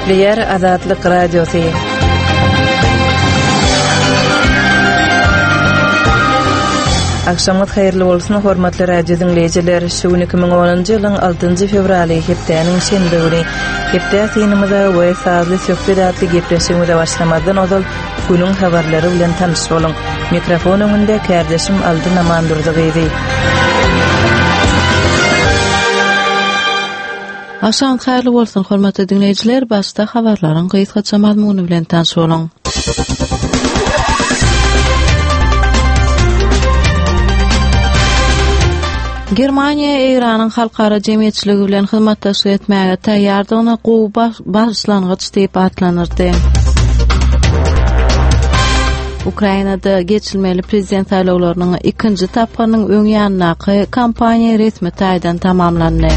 Gepleýär Azatlyk Radiosy. Agşamyňyz haýyrly bolsun, hormatly radio diňleýjiler. Şu gün 2010-njy ýylyň 6-njy fewraly, hepdäniň şenbe güni. Hepde synymyza we sazly söhbet atly gepleşigimize başlamazdan ozal günüň habarlary bilen tanyş boluň. Mikrofon öňünde kärdeşim Altyn Amandurdy gyzy. Agşamyňyz haýyrly bolsun, hormatly diňleýjiler, başda habarlaryň gysgaça mazmuny bilen tanyş boluň. Germaniýa Eýranyň halkara jemgyýetçiligi bilen hyzmatdaşlyk etmäge taýýardygyny gowy başlangyç diýip atlandyrdy. Ukrainada geçilmeli prezident saýlawlarynyň ikinji tapgyrynyň öň ýanyndaky kampaniýa resmi taýdan tamamlandy.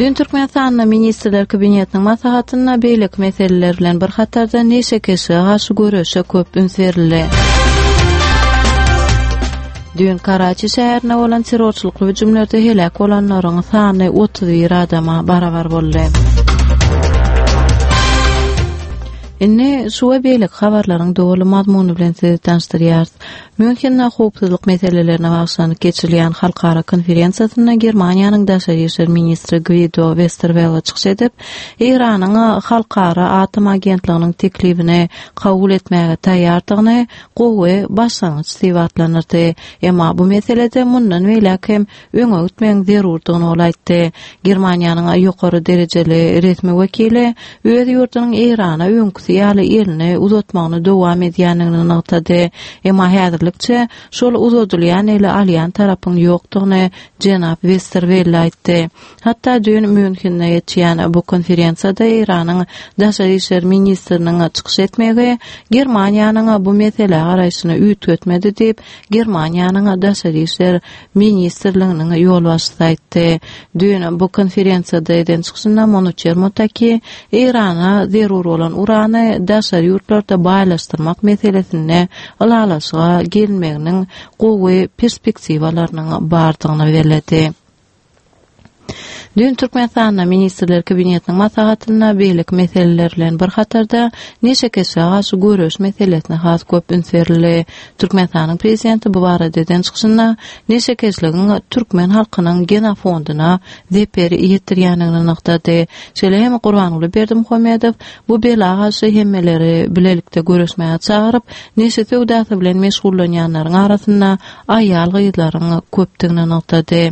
Düýn Türkmenistanda Ministrler Kabinetiniň maslahatynda beýleki meseleler bilen bir hatarda neşekeşlige garşy göreşe köp üns berildi. Düýn Karaçi şäherinde bolan terrorçylykly hüjümlerde heläk bolanlaryň sany 31 adama barabar boldy. Indi şu we beýleki habarlaryň doly mazmuny bilen sizi tanyşdyrýarys. Mýunhende howpsuzlyk meselelerine bagyşlanyp geçirilýän halkara konferensiýasynda Germaniýanyň daşary işler ministri Gwido Westerwelle çykyş edip, Eýranyň Halkara atom agentliginiň teklibini kabul etmäge taýýardygyny gowy başlangyç diýip atlandyrdy. Emma bu meselede mundan beýläk hem öňe gitmegiň zerurdygyny ol aýtdy. Germaniýanyň ýokary derejeli resmi wekili öz ýurdunyň Eýrana öňküsi ýaly elini uzatmagyny dowam edýändigini nygtady. Emma häzirlikçe şol uzadylýan eli alýan tarapyň ýokdugyny jenap Westerwelle aýtdy. Hatda düýn Mýunhende geçýän bu konferensiýada Eýranyň daşary işler ministriniň çykyş etmegi Germaniýanyň bu meselä garaýşyny üýtgetmedi diýip, Germaniýanyň daşary işler ministrliginiň ýolbaşçysy aýtdy. Düýn bu konferensiýada eden çykyşynda Monuçer Motaki Eýrana zerur bolan urany daşary ýurtlarda baýlaşdyrmak meselesinde ylalaşyga gelinmeginiň gowy perspektiwalarynyň bardygyny belledi. Düýn Türkmenistanda Ministrler Kabinetiniň maslahatynda beýleki meseleler bilen bir hatarda neşekeşlige garşy göreş meselesine has köp üns berildi. Türkmenistanyň Prezidenti bu barada eden çykyşynda neşekeşligiň türkmen halkynyň genofondyna zeper ýetirýändigini nygtady. Şeýle hem Gurbanguly Berdimuhamedow bu bela garşy hemmeleri bilelikde göreşmäge çagyryp, neşe söwdasy bilen meşgullanýanlaryň arasynda aýal-gyzlaryň köpdügini nygtady.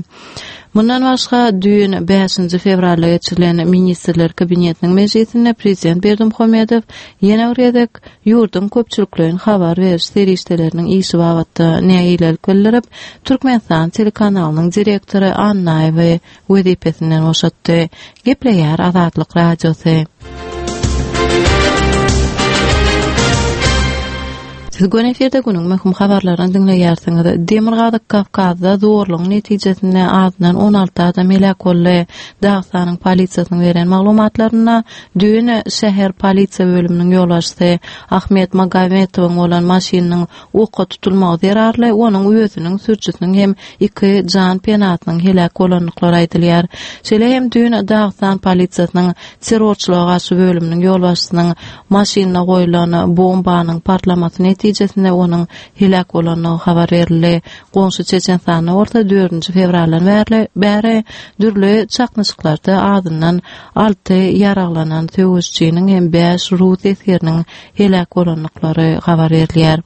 Mundan başga, düýn, bäşinji fewralda geçirilen Ministrler Kabinetiniň mejlisinde prezident Berdimuhamedow ýene bir gezek ýurduň köpçülikleýin habar beriş serişdeleriniň işi babatda nägilelik bildirip, Türkmenistan telekanalynyň direktory Annaýewi wezipesinden boşatdy. Gepleýär Azatlyk Radiosy. Siz göni efirde günüň möhüm habarlaryny diňleýärsiňiz. Demirgazyk Kawkazda zorlugyň netijesinde azyndan 16 adam heläk boldy. Dagystanyň polisiýasynyň beren maglumatlarynda düýn şäher polisiýa bölüminiň ýolbaşçysy Ahmet Magometowyň bolan maşynynyň oka tutulmagy zerarly onuň özüniň sürüjisiniň hem iki jan penasynyň heläk bolandyklary aýdylýar. Şeýle hem düýn Dagystan polisiýasynyň terrorçylyga garşy bölüminiň ýolbaşçysynyň maşynyna goýlan bombanyň partlamasy netijesinde onuň heläk bolandygy habar berildi. Goňşy Çeçenistanda bolsa dördünji fewraldan bäri bäri dürli çaknyşyklarda azyndan alty ýaraglanan söweşijiniň hem bäş rus esgeriniň heläk bolandyklary habar berilýär.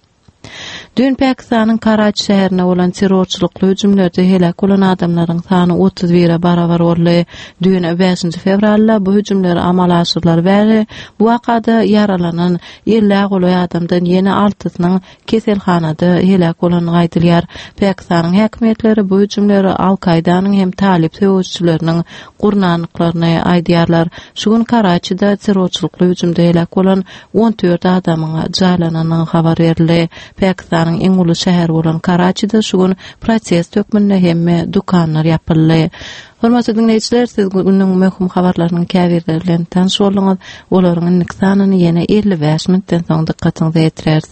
Düýn Pakistanyň Karaçi şäherinde bolan terrorçylykly hüjümlerde heläk bolan adamlaryň sany 31-e barabar boldy. Düýn, bäşinji fewralda bu hüjümler amala aşyrylaly bäri bu wakada ýaralanan ellä golaý adamdan ýene altysynyň keselhanada heläk bolandygy aýdylýar. Pakistanyň häkimiýetleri bu hüjümleri Al-Kaýdanyň hem talyp söweşijileriniň gurnandyklaryny aýdýarlar. Şu gün Karaçide terrorçylykly hüjümde heläk bolan 14 adamyň jaýlanandygy habar berildi. Pakistanyň iň uly şäheri bolan Karaçide şu gün protest hökmünde hemme dükanlar ýapyldy. Hormatly diňleýjiler, siz günüň möhüm habarlarynyň käbirleri bilen tanyş bolduňyz. Olaryň indiki sanyny ýene 55 minutdan soň dykgatyňyza ýetireris.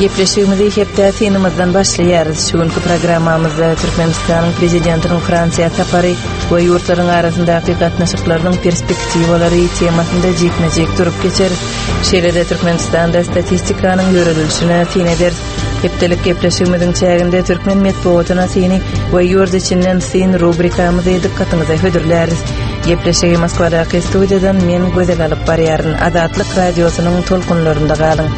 Gepleşigimizi hepde synymyzdan başlaýarys. Şu günki programmamyzda Türkmenistanyň Prezidentiniň Fransiýa sapary we ýurtlaryň arasyndaky gatnaşyklarynyň perspektiwalary temasynda jikme-jik durup geçeris. Şeýle-de Türkmenistanda statistikanyň ýöredilişine syn ederis. Hepdelik gepleşigimiziň çäginde türkmen metbugatyna syny we ýurt içinden syn rubrikamyzy dykgatyňyza hödürläris. Gepleşigi Moskwadaky studiýadan men Gözel alyp barýaryn. Azatlyk Radiosynyň tolkunlarynda galyň.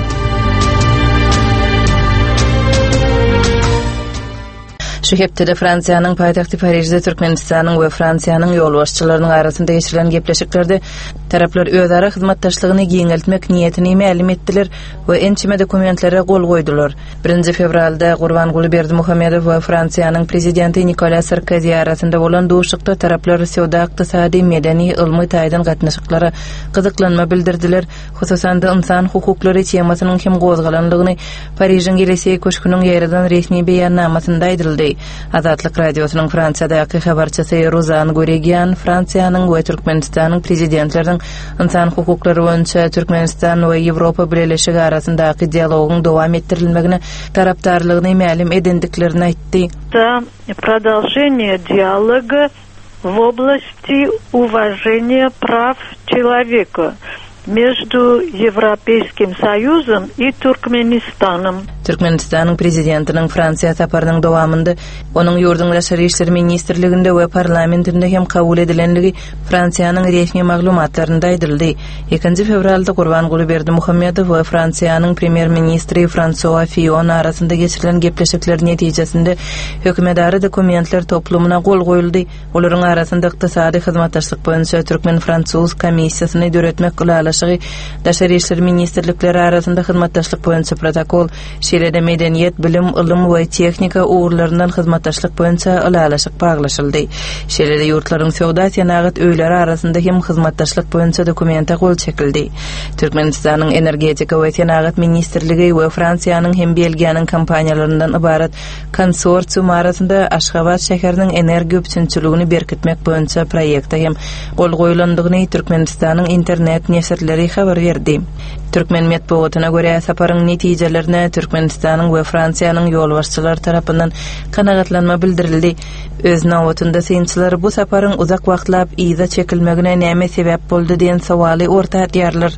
Şu hepdede Fransiýanyň paýtagty Parižde Türkmenistanyň we Fransiýanyň ýolbaşçylarynyň arasynda geçirilen gepleşiklerde taraplar özara hyzmatdaşlygyny giňeltmek niýetini mälim etdiler we ençeme dokumentlere gol goýdular. Birinji fewralda Gurbanguly Berdimuhamedow we Fransiýanyň Prezidenti Nikola Sarkozi arasynda bolan duşuşykda taraplar söwda-ykdysady, medeni, ylmy taýdan gatnaşyklara gyzyklanma bildirdiler, hususan-da ynsan hukuklary temasynyň hem gozgalandygyny Parižiň Ýeliseý köşgüniň ýaýradan resmi beýannamasynda aýdyldy. Azatlyk Radiosynyň Fransiýadaky habarçysy Ruzan Guregian Fransiýanyň we Türkmenistanyň Prezidentleriniň ynsan hukuklary boýunça Türkmenistan we Ýewropa Bileleşigi arasyndaky dialogyň dowam etdirilmegine tarapdarlygyny mälim edendiklerini aýtdy. За продолжение диалога в области уважения прав человека между Европейским Союзом и Туркменистаном. Türkmenistanyň Prezidentiniň Fransiýa saparynyň dowamynda onuň ýurduň Daşary işler ministrliginde we parlamentinde hem kabul edilenligi Fransiýanyň resmi maglumatlarynda aýdyldy. Ikinji fewralda Gurbanguly Berdimuhamedow we Fransiýanyň Premýer-ministri Fransua Fion arasynda geçirilen gepleşikler netijesinde hökümetara dokumentler toplumyna gol goýuldy. Olaryň arasynda ykdysady hyzmatdaşlyk boýunça türkmen-fransuz komissiýasyny döretmek ylalaşygy, Daşary işler ministrlikleri arasynda hyzmatdaşlyk boýunça protokol, şeýle-de medeniýet, bilim, ylym we tehnika ugurlaryndan hyzmatdaşlyk boýunça ylalaşyk baglaşyldy. Şeýle-de ýurtlaryň söwda-senagat öýleri arasynda hem hyzmatdaşlyk boýunça dokumente gol çekildi. Türkmenistanyň Energetika we senagat ministrligi we Fransiýanyň hem Belgiýanyň kompaniýalaryndan ybarat konsorsium arasynda Aşgabat şäheriniň energiýa üpjünçiligini berkitmek boýunça proýekte hem gol goýlandygyny Türkmenistanyň internet neşirleri habar berdi. Türkmen metbugatyna görä, saparyň netijelerine Türkmenistanyň we Fransiýanyň ýolbaşçylary tarapyndan kanagatlanma bildirildi. Öz nobatynda synçylar bu saparyň uzak wagtlap yza çekilmegine näme sebäp boldy diýen sowaly orta atýarlar.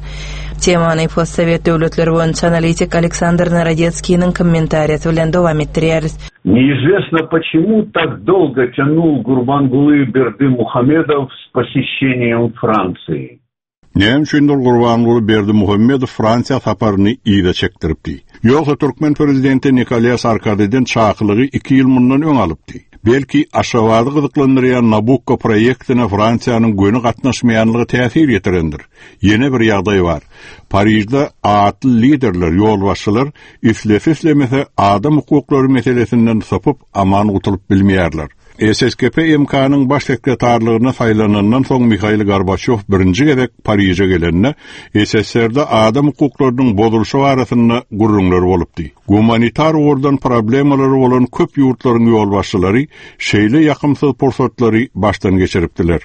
Temany postsowet döwletleri boýunça analitik Aleksandr Narodetskiniň kommentariýasy bilen dowam etdirýäris. Неизвестно почему так долго тянул Гурбангулы Бердымухамедов с посещением Франции. Näme üçindir Gurbanguly Berdimuhamedow Fransiýa saparyny yza çekdiripdi. Ýogsa türkmen prezidenti Nikolýa Sarkoziden çakylygy iki ýyl mundan öň alypdy. Belki, Aşgabady gyzyklandyrýan Nabukko proýektine Fransiýanyň göni gatnaşmaýanlygy täsir ýetirendir. Ýene bir ýagdaý bar. Parižde atly liderler, ýolbaşçylar islese-islemese adam hukuklary meselesinden sypyp aman gutulyp bilmeýärler. SSKP MK-nyň baş sekretarlygyna saýlanandan soň Mihail Gorbaçýow birinji gezek Pariže gelende, SSR-de adam hukuklarynyň bozulyşy barasynda gürrüňler bolupdy. Gumanitar ugurdan problemalary bolan köp ýurtlaryň ýolbaşçylary şeýle ýakymsyz pursatlary başdan geçiripdiler.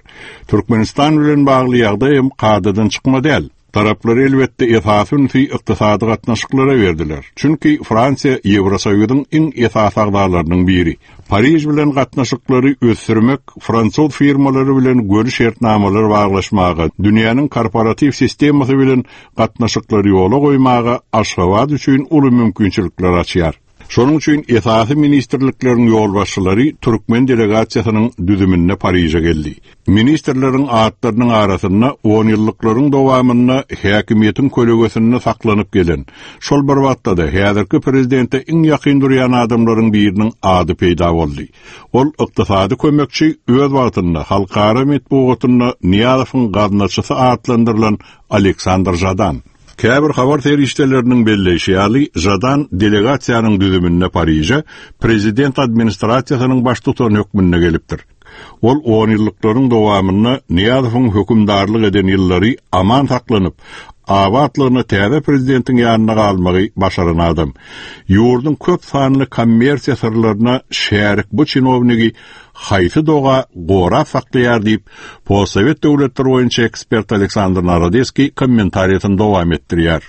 Türkmenistan bilen bagly ýagdaý hem kadadan çykma däl. Taraplar elbetde esasy ünsi ykdysady gatnaşyklara berdiler. Çünki Fransiýa Ýewrosoýuzyň iň esasy agzalarynyň biri. Pariž bilen gatnaşyklary ösdürmek fransuz firmalary bilen göni şertnamalar baglaşmaga, dünýäniň korporatiw sistemasy bilen gatnaşyklary ýola goýmaga Aşgabat üçin uly mümkinçilikler açýar. Şonuň üçin esasy ministrlikleriň ýolbaşçylary türkmen delegasiýasynyň düzüminde Pariže geldi. Ministrleriň atlarynyň arasynda onýyllyklaryň dowamynda häkimiýetiň kölegesinde saklanyp gelen, şol bir wagtda-da häzirki prezidente iň ýakyn durýan adamlaryň biriniň ady peýda boldy. Ol ykdysady kömekçi, öz wagtynda halkara metbugatynda Nyýazowyň gaznaçysy atlandyrylan Aleksandr Žadan. Käbir habar serişdeleriniň belleýşi ýaly, Žadan delegasiýanyň düzüminde Pariže prezident administrasiýasynyň baştutany hökmünde gelipdir. Ol onýyllyklaryň dowamynda Nyýazowyň hökümdarlyk eden ýyllary aman saklanyp, abatlygyna täze prezidentiň ýanynda galmagy başaran adam. Ýurduň köp sanly kommersiýa syrlaryna şärik bu çinownigi haýsy doga gorap saklaýar diýip, postsowet döwletleri boýunça ekspert Aleksandr Narodeskiý kommentariýasyny dowam etdirýär.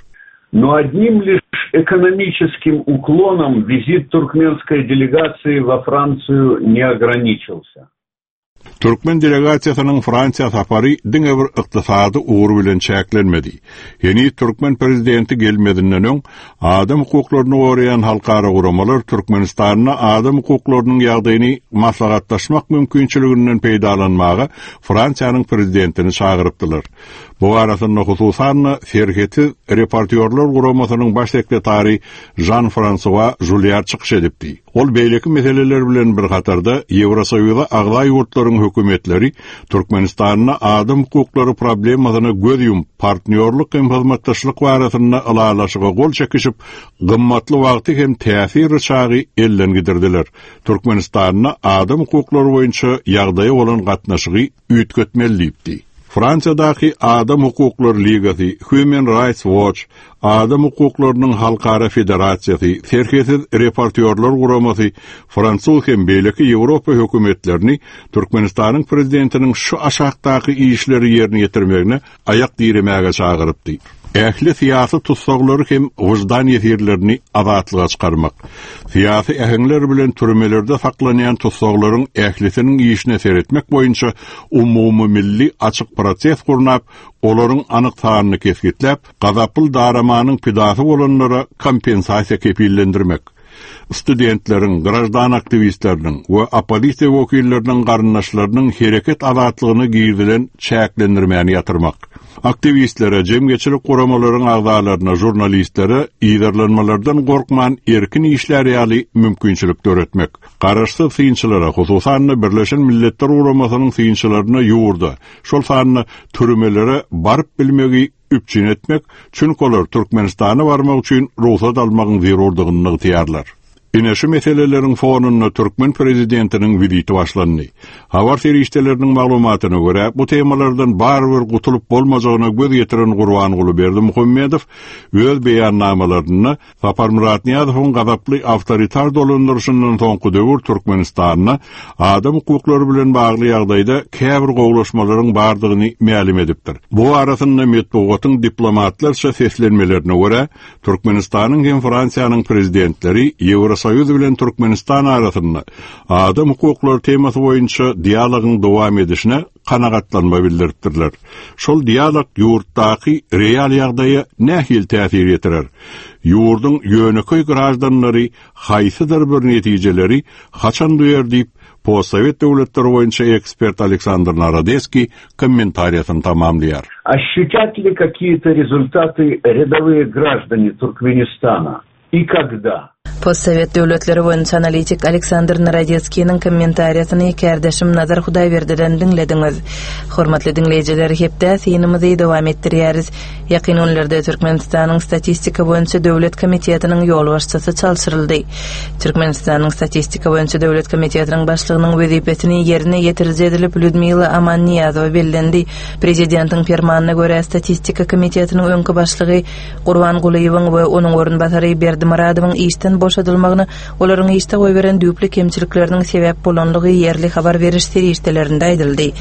Но одним лишь экономическим уклоном визит туркменской делегации во Францию не ограничился. Türkmen delegasiýasynyň Fransiýa sapary diňe bir ykdysady ugur bilen çäklenmedi. Heniz türkmen prezidenti gelmezinden öň, adam hukuklaryny goraýan halkara guramalar Türkmenistanda adam hukuklarynyň ýagdaýyny maslahatlaşmak mümkinçiliginden peýdalanmaga Fransiýanyň prezidentini çagyrypdylar. Bu barasynda hususan-da Serhetsiz reportýorlar guramasynyň baş sekretary Žan-Fransua Žulýar çykyş edipdi. Ol beýleki meseleler bilen bir hatarda Ýewrosoýuza agza ýurtlaryň hökümetleri Türkmenistanda adam hukuklary problemasyna göz ýumup, partnýorlyk hem hyzmatdaşlyk barasynda ylalaşyga gol çekişip, gymmatly wagty hem täsir ryçagy elden gidirdiler. Türkmenistanda adam hukuklary boýunça ýagdaýa bolan gatnaşygy üýtgetmeli diýipdi. Fransiýadaky Adam hukuklary ligasy, Human Rights Watch, Adam hukuklarynyň halkara federasiýasy, Serhetsiz reportýorlar guramasy fransuz hem beýleki Ýewropa hökümetlerini Türkmenistanyň prezidentiniň şu aşakdaky işleri ýerine ýetirmegine aýak diremäge çagyrypdy. Ähli syýasy tussaglary hem wyždan ýesirlerini azatlyga çykarmak. Syýasy äheňler bilen türmelerde saklanýan tussaglaryň ählisiniň işine seretmek boýunça umumymilli açyk proses gurnap, olaryň anyk sanyny kesgitläp, gazaply daramanyň pidasy bolanlara kompensasiýa kepillendirmek. Studentleriň, graždan aktiwistleriniň we oppozisiýa wekilleriniň garyndaşlarynyň hereket azatlygyna girizilen çäklendirmäni ýatyrmak. Aktiwistlere, jemgyýetçilik guramalaryň agzalaryna, žurnalistlere yzarlanmalardan gorkman erkin işlär ýaly mümkinçilik döretmek. Garaşsyz synçylara, hususan-da Birleşen Milletler Guramasynyň synçylaryna ýurda, şol sanda türmelere baryp bilmegi üpjün etmek, çünki olar Türkmenistana barmak üçin rugsat almagyň zerurdygyny nygtaýarlar. Ine şu meseleleriň fonunda türkmen prezidentiniň wiziti başlandy. Habar serişdeleriniň maglumatyna görä, bu temalardan barybir gutulyp bolmajagyna göz ýetiren Gurbanguly Berdimuhamedow öz beýannamalarynda Saparmyrat Nyýazowyň gazaply awtoritar dolandyryşyndan soňky döwür Türkmenistanda adam hukuklary bilen bagly ýagdaýda käbir gowulaşmalaryň bardygyny mälim edipdir. Bu barasynda metbugatyň diplomatlarça seslenmelerine görä, Türkmenistanyň hem Fransiýanyň prezidentleri Ýewrosoýuz bilen Türkmenistan arasynda adam hukuklary temasy boýunça dialogyň dowam edişine kanagatlanma bildiripdirler. Şol dialog ýurtdaky real ýagdaýa nähili täsir ýetirer? Ýurduň ýönekeý graždanlary haýsydyr bir netijeleri haçan duýar diýip, postsowet döwletleri boýunça ekspert Aleksandr Narodeskiý kommentariýasyny tamamlaýar. Ощутят ли какие-то результаты рядовые граждане Туркменистана? И когда? Postsowet döwletleri boýunça analitik Aleksandr Narodetskiniň kommentariýasyny kärdeşim Nazar Hudaýberdiden diňlediňiz. Hormatly diňleýjiler, hepdä synymyzy dowam etdirýäris. Ýakyn günlerde Türkmenistanyň Statistika boýunça döwlet komitetiniň ýolbaşçysy çalşyryldy. Türkmenistanyň Statistika boýunça döwlet komitetiniň başlygynyň wezipesini ýerine ýetiriji edilip Lýudmila Amannyýazowa bellendi. Prezidentiň permanyna görä, Statistika komitetiniň öňki başlygy Gurban Gulyýewiň we onuň orunbasary Berdi Myradowyň işden boşadylmagyna olaryň işde goýberen düýpli kemçilikleriniň sebäp bolanlygy ýerli habar beriş serişdelerinde aýdyldy.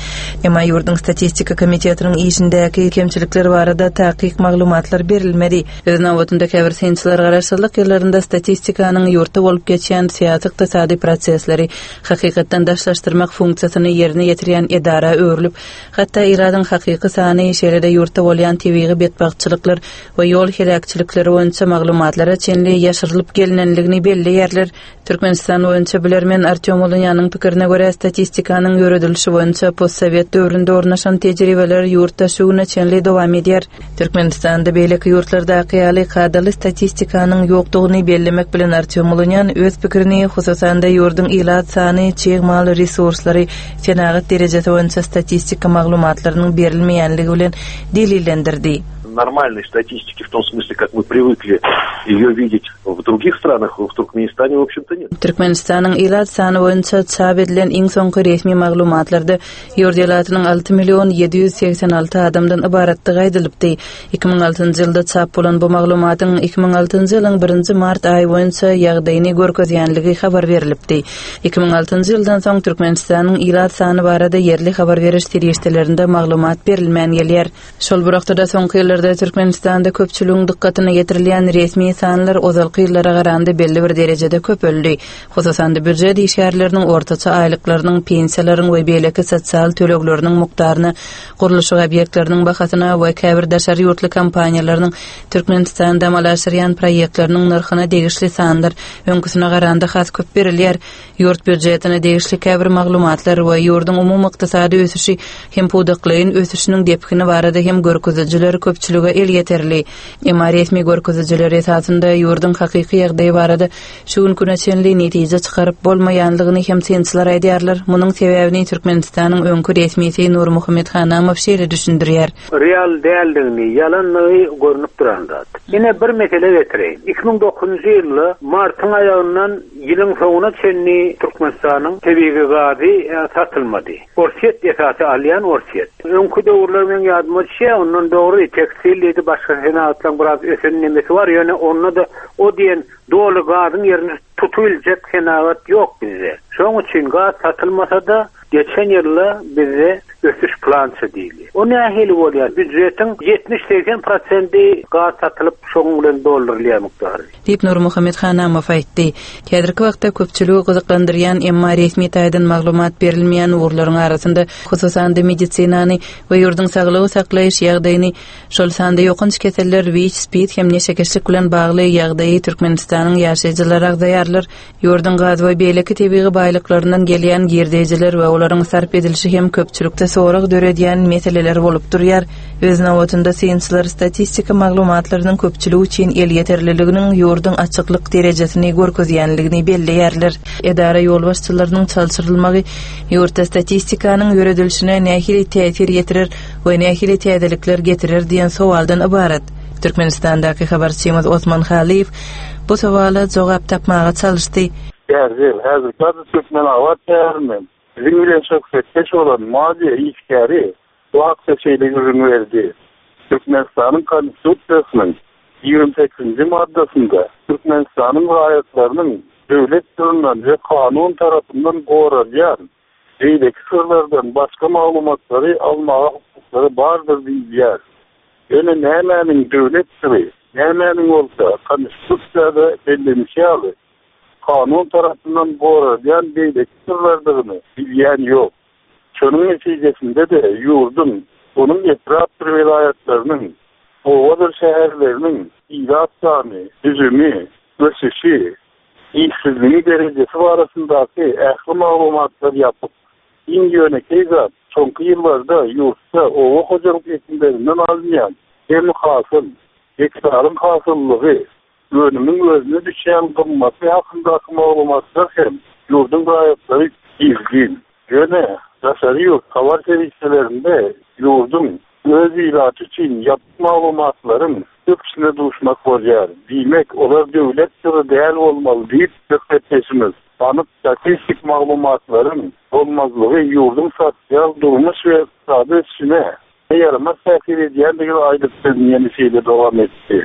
Emma ýurduň Statistika komitetiniň işindäki kemçilikler barada takyk maglumatlar berilmedi. Öz nobatynda käbir synçylar garaşsyzlyk ýyllarynda statistikanyň ýurtda bolup geçýän syýasy-ykdysady prosesleri hakykatdan daşlaşdyrmak funksiýasyny ýerine ýetirýän edara öwrülip, Hatda ilatyň hakyky sany, şeýle-de ýurtda bolýan tebigy betbagtçylyklar we ýol heläkçilikleri boýunça maglumatlara çenli ýaşyrylyp gelinenligini belleýärler. Türkmenistan boýunça bilermen Artýom Ulunýanyň pikirine görä, statistikanyň ýöredilişi boýunça postsowet döwründe ornaşan tejribeler ýurtda şu güne çenli dowam edýär. Türkmenistanda beýleki ýurtlardaky ýaly kadaly statistikanyň ýokdugyny bellemek bilen Artýom Ulunýan öz pikirini, hususan-da ýurduň ilat sany, çig mal resurslary, senagat derejesi boýunça statistika maglumatlarynyň berilmeýänligi bilen delillendirdi. Нормальной статистики в том смысле, как мы привыкли ее видеть в других странах, в Туркменистане, в общем-то, нет. Türkmenistanyň ilat sany boýunça çap edilen iň soňky resmi maglumatlarda Ýurt ilatynyň 6 million 786 adamdan ybaratdygy aýdylypdy. 2006-njy ýylda çap bolan bu maglumatyň 2006-njy ýylyň birinji mart aýy boýunça ýagdaýyny görkezýänligi habar berlipdi. 2006-njy ýyldan soň Türkmenistanyň ilat sany barada ýerli habar beriş serişdelerinde maglumat berilmän gelýär. Şol bir wagtda-da soňky ýyllarda. wagtlarda Türkmenistanda köpçüligiň dykgatyna ýetirilýän resmi sanlar ozalky ýyllara garanda belli bir derejede köpeldi. Hususan-da, býujet işgärleriniň ortaça aýlyklarynyň, pensiýalaryň we beýleki sosial tölegleriniň mukdaryna, gurluşyk obýektleriniň bahasyna we käbir daşary ýurtly kompaniýalarynyň Türkmenistanda amala aşyrýan proýektleriniň nyrhyna degişli sanlar öňküsine garanda has köp berilýär. Ýurt býujetine degişli käbir maglumatlar we ýurduň umumy ykdysady ösüşi hem pudaklaýyn ösüşiniň depgini barada hem görkezijiler köpçülige elýeterli. Emma resmi görkezijiler esasynda ýurduň hakyky ýagdaýy barada şu günki güne çenli netije çykaryp bolmaýanlygyny hem synçylar aýdýarlar. Munuň sebäbini Türkmenistanyň öňki resmisi Nurmuhammet Hanamow şeýle düşündirýär. Real däldigini, ýalandygy görnüp duran zat. Ine bir mesele getireýin. 2009-njy ýylda martyň aýagyndan Ýylyň soňuna çenli Türkmenistanyň tebigy gazy satylmady. Orsýet esasy alýan Orsýet. Öňki döwürler meň ýadyma düşýär, ondan dogry tekstil diýdi, başga senagatlaryň biraz ösen nemesi bar, ýöne onda-da o diýen doly gazyň ýerini tutubiljek senagat ýok bizde. Şoň üçin gaz satylmasa-da, geçen ýylda bizde ösüş plança diýilýär. O nähili bolýar? Býujetiň 70-80 prosendi gaz satylyp, şonuň bilen doldurylýar mukdary. Diýip, Nurmuhammet Hanamow aýtdy. Häzirki wagtda köpçüligi gyzyklandyrýan, emma resmi taýdan maglumat berilmeýän ugurlaryň arasynda, hususan-da, medisinany we ýurduň saglygy saklaýyş ýagdaýyny, şol sanda ýokanç keseller, wiç, spid hem neşekeşlik bilen bagly ýagdaýy Türkmenistanyň ýaşaýjylary agzaýarlar. Ýurduň gaz we beýleki tebigy baýlyklaryndan gelýän girdeýjiler we olaryň sarp edilişi hem köpçülikde sorag döredýän meseleler bolup durýar. Öz nobatynda synçylar statistika maglumatlarynyň köpçülik üçin elýeterliliginiň ýurduň açyklyk derejesini görkezýänligini belleýärler. Edara ýolbaşçylarynyň çalşyrylmagy ýurtda statistikanyň ýöredilişine nähili täsir ýetirer we nähili täzelikler getirer diýen sowaldan ybarat. Türkmenistandaky habarçymyz Osman Halyýew bu sowala jogap tapmaga çalyşdy. Bärde, häzirki ady Türkmenabat şäherinden biziň bilen söhbetdeş bolan maliýe işgäri bu hakda şeýle gürrüň berdi, Türkmenistanyň Konstitusiýasynyň 28-nji maddasynda Türkmenistanyň raýatlarynyň döwlet syryndan we kanun tarapyndan goralýan beýleki syrlardan başga maglumatlary almaga hukuklary bardyr diýilýär. Ýöne nämäniň döwlet syry, nämäniň bolsa Konstitusiýada bellenişi ýaly, kanun tarapyndan goralýan beýleki syrlardygyny bilýän ýok. Şonuň netijesinde-de ýurduň, onuň etrapdyr welaýatlarynyň, obadyr şäherleriniň ilat sany, düzümi, ösüşi, işsizligiň derejesi barasyndaky ähli maglumatlar ýapyk. Iň ýönekeý zat, soňky ýyllarda ýurtda oba hojalyk ekinlerinden alynýan jemi hasyl, gektaryň hasyllylygy, önümiň özüne düşýän gymmaty hakyndaky maglumatlar hem ýurduň raýatlary gizlin. Ýöne daşary ýurt habar serişdelerinde ýurduň öz ilaty üçin ýapyk maglumatlaryň köpüsine duşmak bolýar. Diýmek, olar döwlet syry däl bolmaly diýip, söhbetdeşimiz anyk statistik maglumatlaryň bolmazlygy ýurduň sosial, durmuş we ykdysady ösüşine ýaramaz täsir edýändigini aýdyp, sözüni ýene şeýle dowam etdi.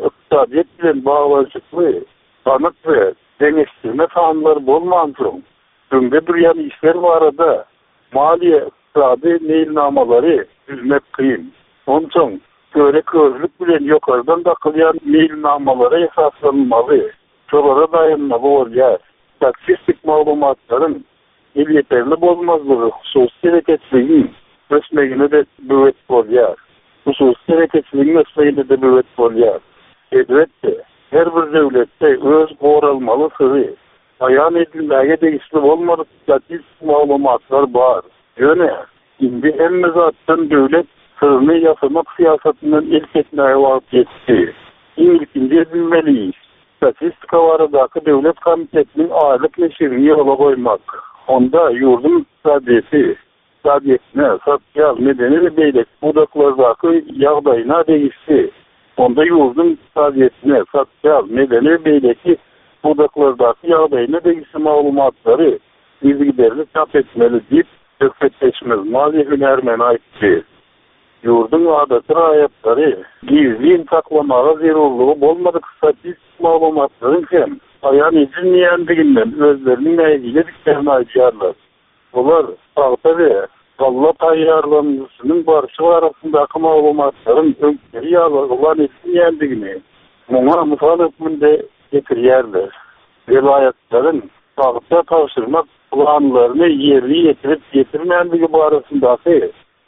Ykdysadyýet bilen baglanyşykly anyk we deňeşdirme sanlar bolmansoň, öňde durýan işler barada maliýe-ykdysady meýilnamalary düzmek kyn. Onsoň, köre-körlük bilen ýokardan dakylýan meýilnamalara esaslanmaly, şolara daýanmaly bolýar. Statistik maglumatlaryň elýeterli bolmazlygy hususy telekeçiligiň ösmegine-de böwet bolýar. Hususy telekeçiligiň ösmegine-de böwet bolýar. Elbetde, her bir döwletde öz goralmaly syry, aýan edilmäge degişli bolmadyk statistik maglumatlar bar. Ýöne, indi hemme zatdan döwlet syryny ýasamak syýasatyndan el çekmäge wagt ýetdi. Iň ilkinji edilmeli iş, Statistika baradaky döwlet komitetiniň aýlyk neşirini ýola goýmak. Onda ýurduň ykdysadyýeti, ykdysadyýetine, sosial, medeni we beýleki pudaklardaky ýagdaýyna degişli Onda ýurduň ykdysadyýetine, sosial, medeni we beýleki pudaklardaky ýagdaýyna degişli maglumatlary yzygiderli çap etmeli diýip, söhbetdeşimiz, maliýe hünärmeni aýtdy. Ýurduň adaty raýatlary gizlin saklamaga zerurlygy bolmadyk statistik maglumatlaryň hem aýan edilmeýändiginden özleriniň nägilediklerini aýdýarlar. Olar pagta we. Galla taýýarlanylyşynyň barşy barasyndaky maglumatlaryň öňküleri ýaly yglan edilmeýändigini muňa mysal hökmünde getirýärler. Welaýatlaryň pagta tabşyrmak planlaryny ýerine ýetirip ýetirmändigi barasyndaky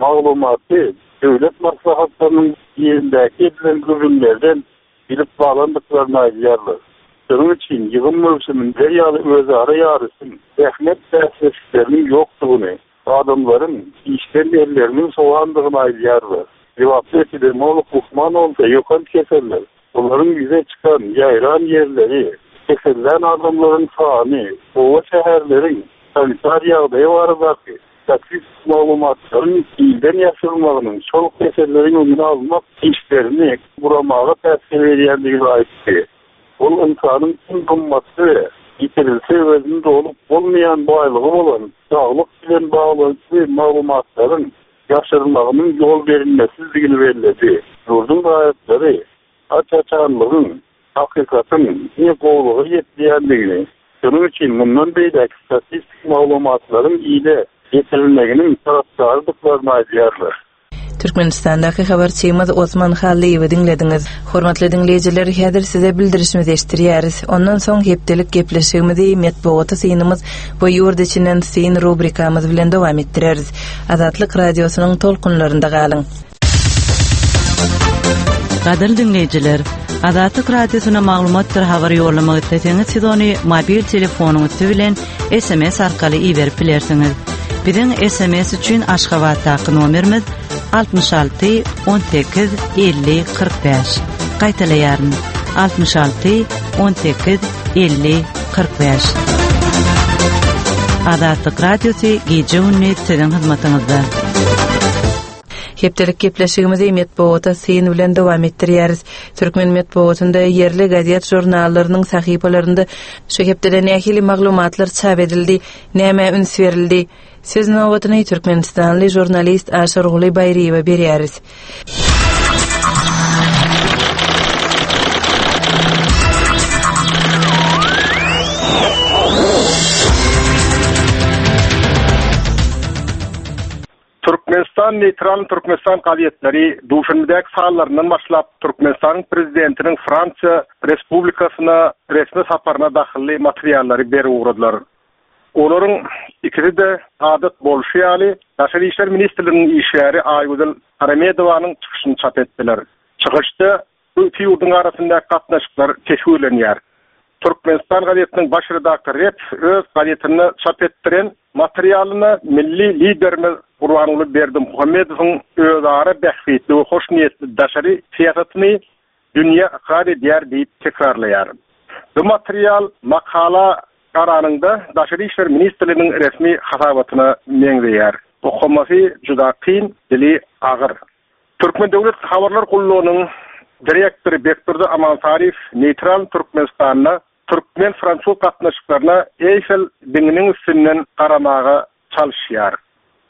maglumaty döwlet maslahatlarynyň birindäki edilen gürrüňlerden bilip galandyklaryny aýdýarlar. Şonuň üçin ýygym möwsüminde ýaly özara ýaryşyň, zähmet bäsleşikleriniň ýokdugyny, adamlaryň işden elleriniň sowandygyny aýdýarlar. Lebaply epidemiolog lukman bolsa ýokanç keseller, olaryň ýüze çykan, ýaýran ýerleri, kesellän adamlaryň sany, oba-şäherleriň sanitar ýagdaýy baradaky Statistik maglumatlaryň ilden ýaşyrylmagynyň şol keselleriň öňüni almak işlerini guramaga päsgel berýändigini aýtdy. Ol ynsanyň iň gymmatly we ýitirilse öwezini dolup bolmaýan baýlygy bolan saglyk bilen baglanyşykly maglumatlaryň ýaşyrylmagynyň ýol berilmesizdigini belledi. Ýurduň raýatlary aç-açanlygyň, hakykatyň diňe gowulyga ýetmeýändigini, şonuň üçin mundan beýläk statistik maglumatlaryň ile ýetirilmeginiň tarapdarydyklaryny aýdýarlar. Türkmenistandaky habarçymyz Osman Hallyýewi diňlediňiz. Hormatly diňleýjiler, häzir size bildirişimizi eşitdirýäris. Ondan soň hepdelik gepleşigimizi Metbugata synymyz we ýurt içinden syn rubrikamyz bilen dowam etdireris. Azatlyk Radiosynyň tolkunlarynda galyň! Gadyrly diňleýjiler, Azatlyk Radiosyna maglumatdyr habar ýollamak isleseňiz, siz ony mobil telefonyň üsti bilen SMS arkaly iberip bilersiňiz. Biziň SMS üçin Aşgabatdaky nomerimiz 66 18 50 45. Gaýtalaýaryn. 66 18 50 45. Azatlyk Radiosy gije-gündiz siziň hyzmatyňyzda. Hepdelik gepleşigimizi metbugata syn bilen dowam etdirýäris. Türkmen metbugatynda ýerli gazet-žurnallarynyň sahypalarynda şu hepdede nähili maglumatlar çap edildi, nämä üns berildi? Söz nobatyny türkmenistanly žurnalist Aşyrguly Baýryýewe berýäris. Türkmenistan Neýtral Türkmenistan gazetleri Duşenbedäki sanlaryndan başlap Türkmenistanyň Prezidentiniň Fransiýa Respublikasyna resmi saparyna dahylly materiallary berip ugradylar. Olaryň ikisi-de adat bolşy ýaly Daşary işler ministrliginiň işgäri Aýgözel Aramedowanyň çykyşyny çap etdiler. Çykyşda Bu iki ýurduň arasyndaky gatnaşyklar teswirlenýär. Türkmenistan gazetiniň baş redaktory Repow öz gazetinde çap etdiren materialynda milli Liderimiz Gurbanguly Berdimuhamedowyň özara bähbitli we hoşniýetli daşary syýasatyny dünýä ykrar edýär diýip tekrarlaýar. Bu material makala garanyňda Daşary işler ministrliginiň resmi hasabatyna meňzeýär. Okamasy juda kyn, dili agyr. Türkmen döwlet habarlar gullugynyň direktory Bekdurdy Amansaryýew neýtral Türkmenistanda türkmen-fransuz gatnaşyklaryna Eýfel diňiniň üstünden garamaga çalyşýar.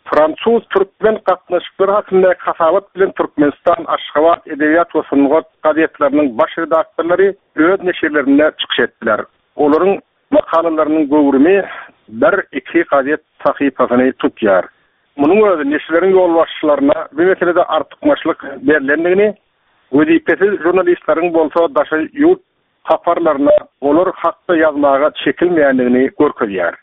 Fransuz-türkmen gatnaşyklary hakyndaky hasabat bilen Türkmenistan, Aşgabat, Edebiýat we sungat gazetleriniň baş redaktorlary öz neşirlerinde çykyş etdiler. Olaryň makalalarynyň göwrümi bir-iki gazet sahypasyny tutýar. Munuň özi neşirleriň ýolbaşçylaryna bu meselede artykmaçlyk berlendigini, wezipesiz žurnalistleriň bolsa daşary ýurt saparlaryna olar hakda ýazmaga çekilmeýändigini görkezýär.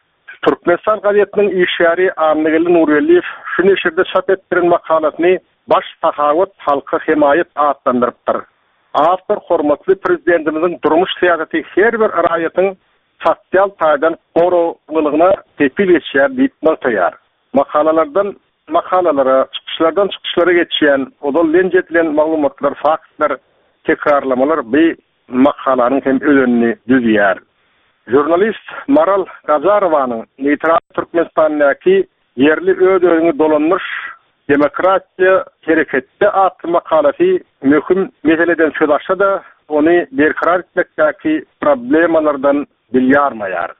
Türkmenistan gazetiniň işgäri Annageldi Nurgeldiýew şu neşirde çap etdiren makalasyny Baş sahawat halka hemaýat atlandyrypdyr. Awtor hormatly Prezidentimiziň durmuş syýasaty her bir raýatyň sosial taýdan goraglylygyna kepil geçýär diýip nygtaýar. Makalalardan makalalara, çykyşlardan çykyşlara geçýän, ozal lenç edilen maglumatlar, faktlar, tekrarlamalar bi makalanyň hem özenini düzýär. Žurnalist Maral Gajarowanyň Neýtral Türkmenistandaky ýerli öz-özüňi dolandyryş Demokratiýa hereketde atly makalasy möhüm meseleden söz açsa-da, ony berkarar etmekdäki problemalardan dil ýarmaýar.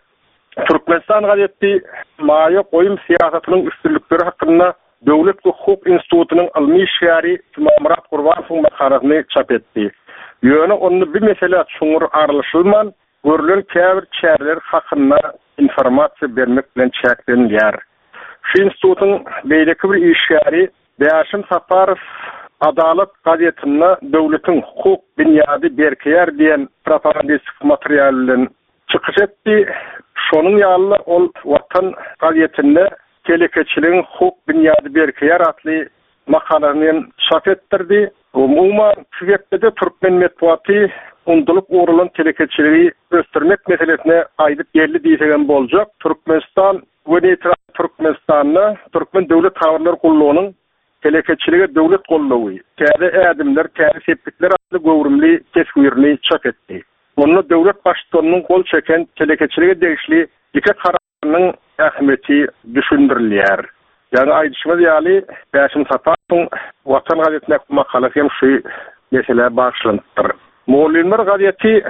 Türkmenistan gazeti maýa goýum syýasatynyň üstünlikleri hakynda Döwlet we hukuk institutynyň ylmy işgäri Jumamyrat Gurbanowyň makalasyny çap etdi. Ýöne onda bu meselä çuňňur aralaşylman, görlen käbir çäreler hakynda informasiýa bermek bilen çäklenilýär. Şu institutyň beýleki bir işgäri Bäşim Saparow Adalat gazetinde Döwletiň hukuk binýady berkeýär diýen propagandistik material bilen çykyş etdi. Şonuň ýaly-da ol Watan gazetinde Telekeçiligiň hukuk binýady berkeýär atly makalasyny hem çap etdirdi. Umuman, şu hepdede türkmen metbugaty undulyp ugralan telekeçiligi ösdürmek meselesine gaýdyp geldi diýsegem boljak. Türkmenistan we Neýtral Türkmenistanda Türkmen döwlet habarlar gullugynyň Telekeçilige döwlet goldawy, täze ädimler, täze sepgitler atly göwrümli teswirini çap etdi. Onda döwlet Baştutanynyň gol çeken telekeçilige degişli iki kararynyň ähmiýeti düşündirilýär. Ýaňy aýdyşymyz ýaly, Bäşim Saparowyň Watan gazetindäki makalasy hem şu meselä bagyşlanypdyr. Mugallymlar gazeti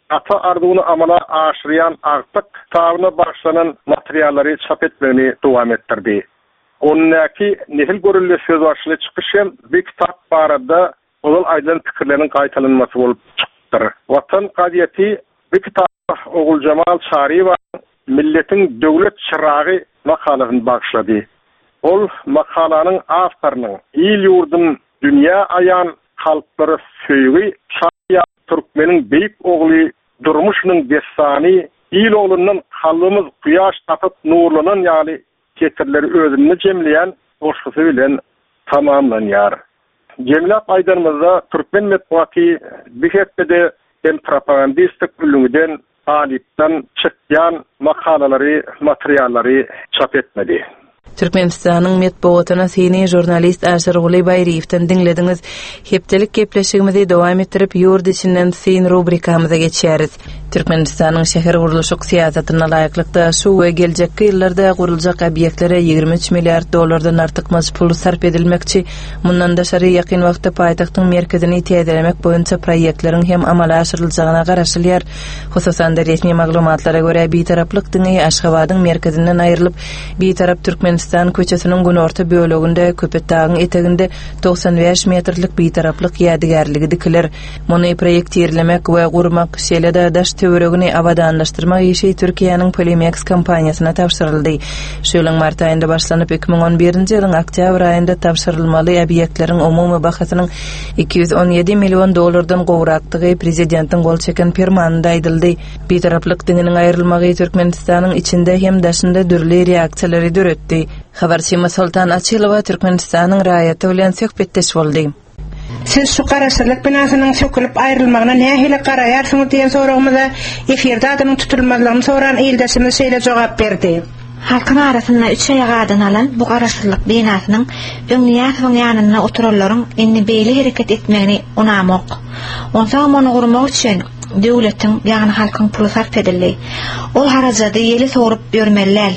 Ata arzuwyny amala aşyrýan agtyk kitabyna bagyşlanan materiallary çap etmegini dowam etdirdi. Ondaky Nesil görelde sözbaşyly çykyş hem bu kitap barada ozal aýdylan pikirleriň gaýtalanmasy bolup çykypdyr. Watan gazeti bu kitaba Oguljemal Çaryýewanyň Milletiň döwlet çyragy makalasyny bagyşlady. Ol makalanyň awtorynyň Il-ýurdum dünýä aýan, kalplara söýgi çaýýan türkmeniň beýik ogly durmuşynyň dessany, il oglundan kalbymyz kuýaş tapyp nurlanan ýaly setirleri özünde jemleýän goşgusy bilen tamamlanýar. Jemläp aýdanymyzda, türkmen metbugaty bu hepdede hem propagandistik ülňüden, galypdan çykýan makalalary, materiallary çap etmedi. Türkmenistanyň metbugatyna syny žurnalist Aşyrguly Baýryýewden diňlediňiz. Hepdelik gepleşigimizi dowam etdirip, Ýurt içinden syn rubrikamyza geçýäris. Türkmenistanyň şähergurluşyk syýasatyna laýyklykda, şu we geljekki ýyllarda guruljak obýektlere 23 milliard dollardan artykmaç pul sarp edilmekçi. Mundan daşary, ýakyn wagtda paýtagtyň merkezini täzelemek boýunça proýektleriň hem amala aşyryljagyna garaşylýar. Hususan-da, resmi maglumatlara görä, Bitaraplyk diňi Aşgabadyň merkezinden aýrylyp, Bitarap Türkmenistan köçesiniň günorta böleginde, Köpetdagyň eteginde 95 metrlik Bitaraplyk ýadygärligi dikiler. Muny proýektirlemek we gurmak, şeýle-de daş-töweregini abadanlaşdyrmak işi Türkiýäniň Polimex kompaniýasyna tabşyryldy. Şu ýylyň mart aýynda başlanyp, 2011-nji ýylyň oktýabr aýynda tabşyrylmaly obýektleriň umumy bahasynyň 217 million dollardan gowrakdygy prezidentiň gol çeken permanynda aýdyldy. Bitaraplyk diňiniň aýrylmagy Türkmenistanyň içinde hem daşynda dürli reaksiýalary döretdi. Habarçymyz Soltan Açylowa Türkmenistanyň raýaty bilen söhbetdeş boldy. Siz şu Garaşsyzlyk binasynyň sökülip aýrylmagyna nähili garaýarsyňyz diýen soragymyza efirde adynyň tutulmazlygyny soran ildeşimiz şeýle jogap berdi. Halkyň arasynda üç aýak adyny alan bu Garaşsyzlyk binasynyň öň Nyýazowyň ýanynda oturanlaryň indi beýle hereket etmegini unamok. Onsoňam ony gurmak üçin döwletiň, ýagny halkyň puly sarp edildi. Ol harajady ýele sowrup ýörmeli däl.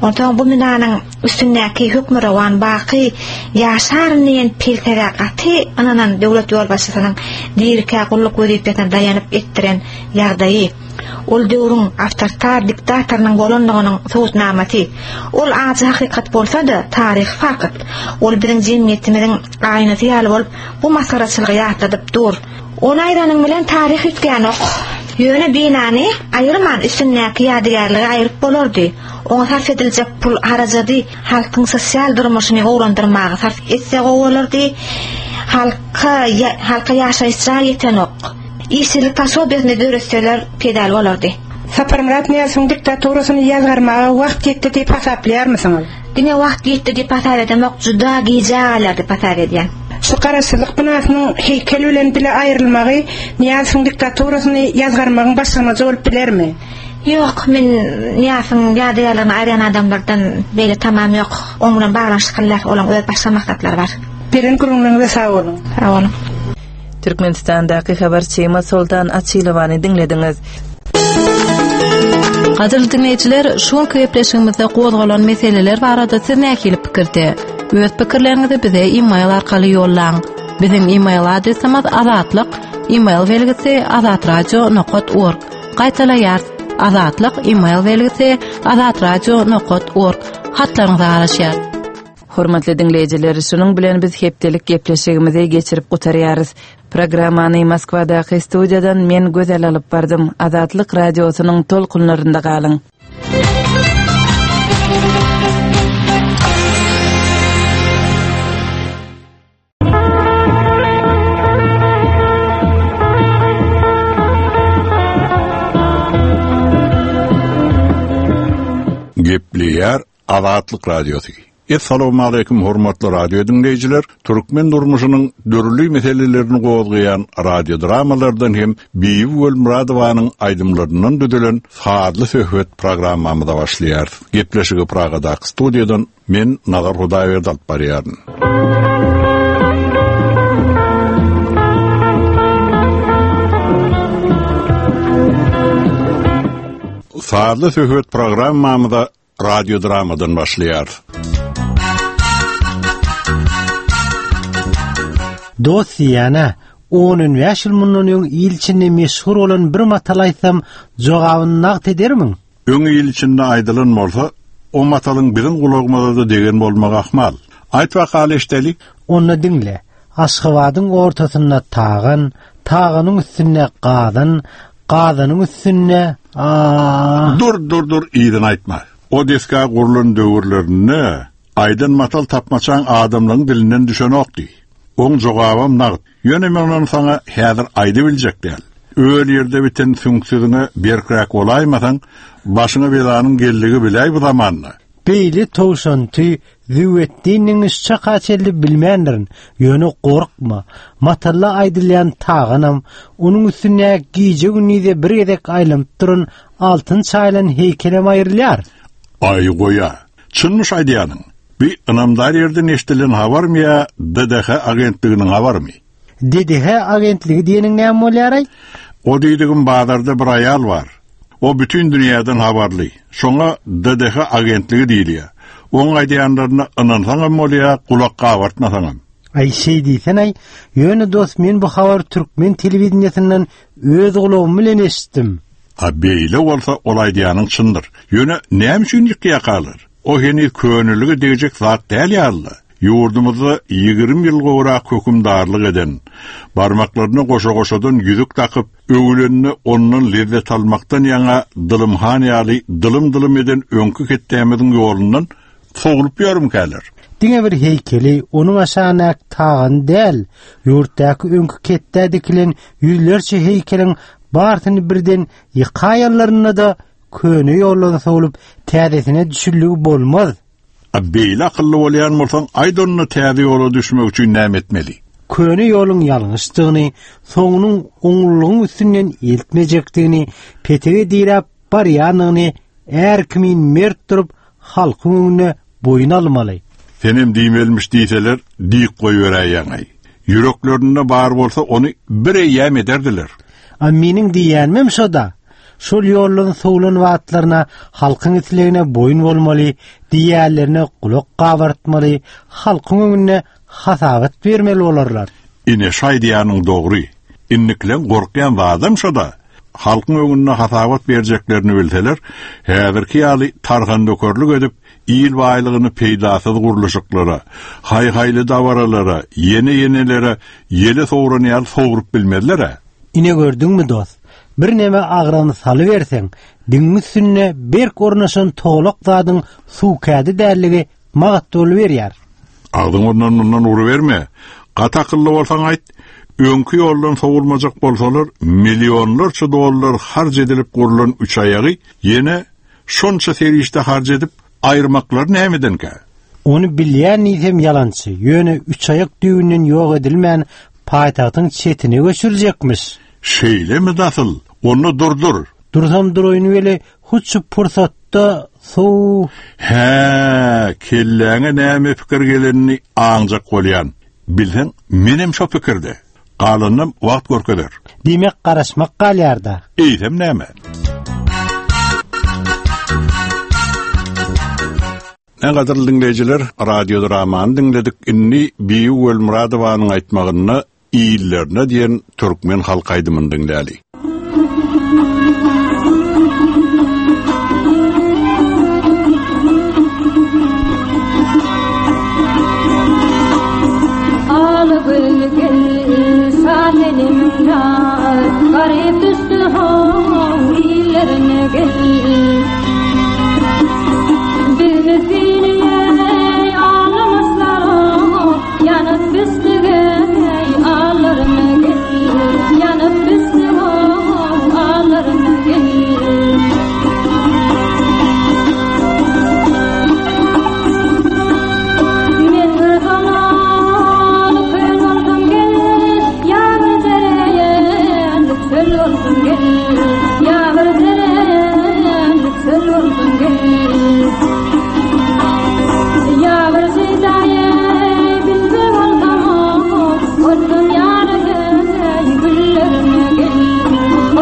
Onsoň bu binanyň üstündäki hökmürowan baky ýaşaryn diýen pelsepä gaty ynanan döwlet ýolbaşçysynyň dirikä gulluk wezipesine daýanyp etdiren ýagdaýy, ol döwrüň awtoritar diktatorynyň bolanlygynyň subutnamasy. Ol ajy hakykat bolsa-da, taryhy fakt. Ol biziň jemgyýetimiziň aýnasy ýaly bolup, bu masgaraçylygy ýatladyp dur. Ony aýranyň bilen taryh üýtgänok. Ýöne binany aýyrman, üstündäki ýadygärligi aýryp bolardy. Oňa sarp ediljek pul harajady halkyň sosial durmuşyny gowulandyrmaga sarp etse gowy bolardy. Halka halka ýaşaýyş jaý ýetenok. Işsizlik posobiýasyny döretseler peýdaly bolardy. Saparmyrat Nyýazowyň diktaturasyny ýazgarmaga wagt ýetdi diýip hasaplaýarmysyňyz? Diňe wagt ýetdi diýip hasap edemok, juda gijä galýar diýip hasap edýän. Şu Garaşsyzlyk binasynyň heýkel bilen bile aýrylmagy Nyýazowyň diktaturasyny ýazgarmagyň başlangyjy bolup bilermi? Ýok, men Nyýazowyň ýadygärligini aýyrýan adamlardan beýle tamam ýok. Oň bilen baglanyşykly däl, olaň öz başga maksatlary bar. Beren gürrüňleriňize sag boluň. Sag boluň. Türkmenistandaky habarçymyz Soltan Açylowany diňlediňiz. Gadyrly diňleýjiler, şu günki gepleşigimizde gozgalan meseleler barada siz nähili pikirde? Öz pikirleriňizi bize e-mail arkaly ýollaň. Biziň e-mail adresimiz azatlyk e-mail belgisi azatradio.org. Gaýtalaýarys. Azatlyk e-mail belgisi azatradio.org. Hatlaryňyza garaşýarys. Hormatly diňleýjiler, şunuň bilen biz hepdelik gepleşigimizi geçirip gutarýarys. Programmany Moskwadaky studiýadan men Gözel alyp bardym. Azatlyk Radiosynyň tolkunlarynda galyň. Gepleýär Azatlyk Radiosy. Essalawmaleýkim hormatly radio diňleýjiler! Türkmen durmuşynyň dürli meselelerini gozgaýan radio dramalardan hem Bibi Welmyradowanyň aýdymlaryndan düzülen Sazly söhbet programmamyza başlaýarys. Gepleşigi Pragadaky studiýadan Men Nazar Hudaýberdi alyp barýaryn. Sazly söhbet programmamyza radiodramadan başlaýarys. Dost diýýän-ä, on-on bäş ýyl mundan öň il içinde meşhur bolan bir matal aýtsam, jogabyny nagt edermiň? Öň il içinde aýdylan bolsa, o matalyň biziň gulagymyza-da degen bolmagy ahmal. Aýt bakaly eşdeli. Onda diňle, Aşgabadyň ortasynda Tagan, Taganyň üstünde Gazan, Gazanyň üstünde a. Dur, dur, dur, yzyny aýtma. O desga gurlan döwürlerinde aýdan matal tapmaçaň adamlaryň dilinden düşenokdy. Oň jogabam nagt. Ýöne men ony saňa häzir aýdybiljek däl. Öl ýerde biten süňksüziňe berkräk bolaýmasaň, başyňa belanyň geldigi biläý bu zamanda. Beýle towşanty Züwwetdiniň şu çaka çenli bilmändirin. Ýöne gorkma, matalda aýdylýan taganam, onuň üstündäki gije-gündize bir gezek aýlanyp duran altyn çaýylan heýkelem aýrylýar. Aý, goý-a. Çynmyş aýdýanyň? Bi ynamdar ýerden eşdilen habarmy ýa DDH agentliginiň habarymy? DDH agentligi diýeniň näme bolýar-aý? O diýdigim bazarda bir aýal bar. O bütin dünýäden habarly. Şoňa DDH agentligi diýilýär. Oň aýdýanlaryna ynansaňam bolýar, gulak gabartmasaňam. Aý şeý diýsen-aý, ýöne dost men bu habary türkmen telewideniýesinden öz gulagym bilen eşitdim. A beýle bolsa ol aýdýanyň çyndyr. Ýöne näme üçin ýykýakalar? O heniz könelige degjek zat däl ýaly-la. Ýurdumyzda 20 ýyl gowrak hökümdarlyk eden, barmaklaryna goşa-goşadan ýüzük dakyp, öwülende ondan lezzet almakdan ýaňa Dylym han ýaly dylym-dylym eden öňki ketdämiziň ýolundan sowlup ýörmükäler? Diňe bir heýkeli, onuň aşagyndaky tagany däl, ýurtdaky öňki ketdä dikilen ýüzlerçe heýkeliň barsyny birden ýykaýanlarynda-da köne ýoldan sowlup, täzesine düşüldigi bolmaz. A beýle akylly bolýan bolsaň, aýt onda täze ýola düşmek üçin näme etmeli? Köne ýoluň ýalňyşdygyny, soňunyň oňlulygyň üstünden eltmejekdigini, petege diräp barýandygyny är kimin mert durup, halkyň öňünde boýun almaly. Senem diýmelimiş diýseler, diýip goýberäýýäň-aý. Ýüreklerinde bar bolsa, ony bir eýýäm ederdiler. A meniň diýýänimem şo-da. Şol ýoldan sowlan wagtlaryna halkyň islegine boýun bolmaly, diýýänlerine gulak gabartmaly, halkyň öňünde hasabat bermeli bolarlar. Ine, şu aýdýanyň dogry. Indikileň gorkýan zadam şo-da. Halkyň öňünde hasabat berjeklerini bilseler, häzirki ýaly tarhandökerlik edip, il baýlygyny peýdasyz gurluşyklara, haý-haýly dabaralara, ýene-ýenelere ýele sowran ýaly sowrup bilmezler-ä. Ine gördüňmi dost, birneme agram salyberseň, diňiň üstünde berk ornaşan togalak zadyň suw kädi dälligi magat boluberýär. Agzyňy ondan-mundan uruberme. Gaty akylly bolsaň aýt, öňki ýoldan sowulmajak bolsalar, millionlarça dollar harç edilip gurlan üçaýagy ýene şonça serişde harç edip aýyrmaklary nämedenkä? Ony bilýän diýsem ýalançy, ýöne üçaýak düýbünden ýok edilmän paýtagtyň çetine göçüriljekmiş. Şeýlemi dasyl? Onda dur-dur. Dursam duraýyn weli, hut şu pursatda sow. Hä, kelläňe näme pikir gelenini aňjak bolýan. Bilseň, menem şo pikirde. Galanynam wagt görkezer. Diýmek, garaşmak galýar-da. Eýsem näme? Ne gadyrly diňleýjiler, radiodramany diňledik. Indi Bibi Welmyradowanyň aýtmagynda Illerine diýen türkmen halk aýdymyny diňläli. Al gül gel şahenim ýar, Garyp düşdi how illerine gel. Bizni seni ağlamışlar Ýanyp bişdige allarmy gel Ýanyp bişdige.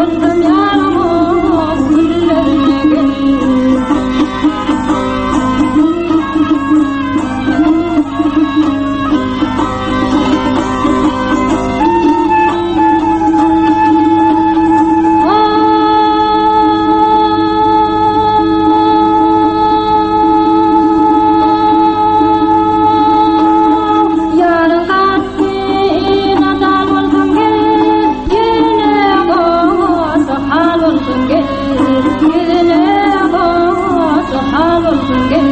Bolsam ýaryň güllerine gel. Ýaryň gatdy nadal bolsam gel, Ýüzüne goşa hal bolsam gel, Ýüzüne goşa hal bolsam gel.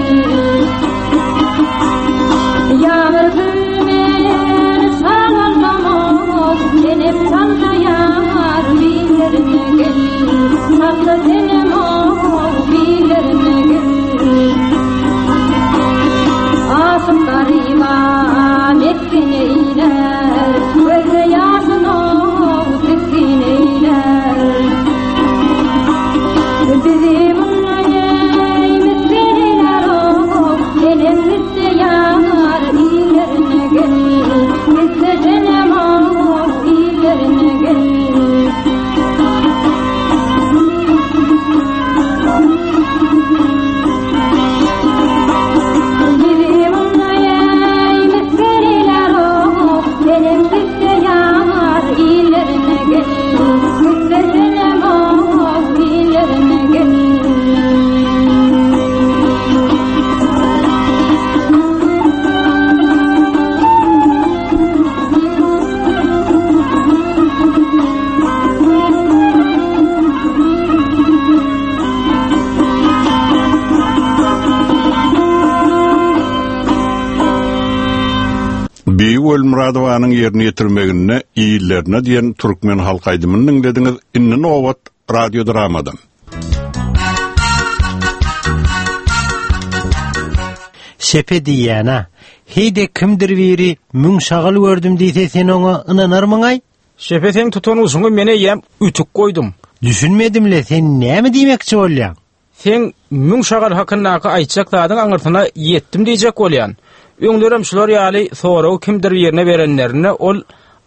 Ýa bir gülmen şal bolsam, Senem çalsa ýar billerine gel, Çalsa senem billerine gel. Aşyk garyba mesgen eýlär, Gözde ýaşyn tisgin eýlär. Bizi mundan eý misgin eýlär, Senem gitse ýar illerine gel, Gitse senem illerine gel. Bizi mundan eý misgin eýlär, Senem gitse ýar illerine gel, Gitse senem illerine gel. Bibi Welmyradowanyň ýerine ýetirmeginde Illerine diýen türkmen halk aýdymyny diňlediňiz. Indi nobat radiodramadan. Şepe diýýän-ä. Heý-de kimdir biri müň şagal gördüm diýse sen oňa ynanarmyň-aý? Şepe seň tutan ujyňy men eýýäm ütük goýdum. Düşünmedim-le, sen näme diýmekçi bolýaň? Seň müň şagal hakyndaky aýtjak zadyň aňyrsyna ýetdim diýjek bolýan. Öňlerem şular ýaly soragy kimdir birine berenlerinde ol,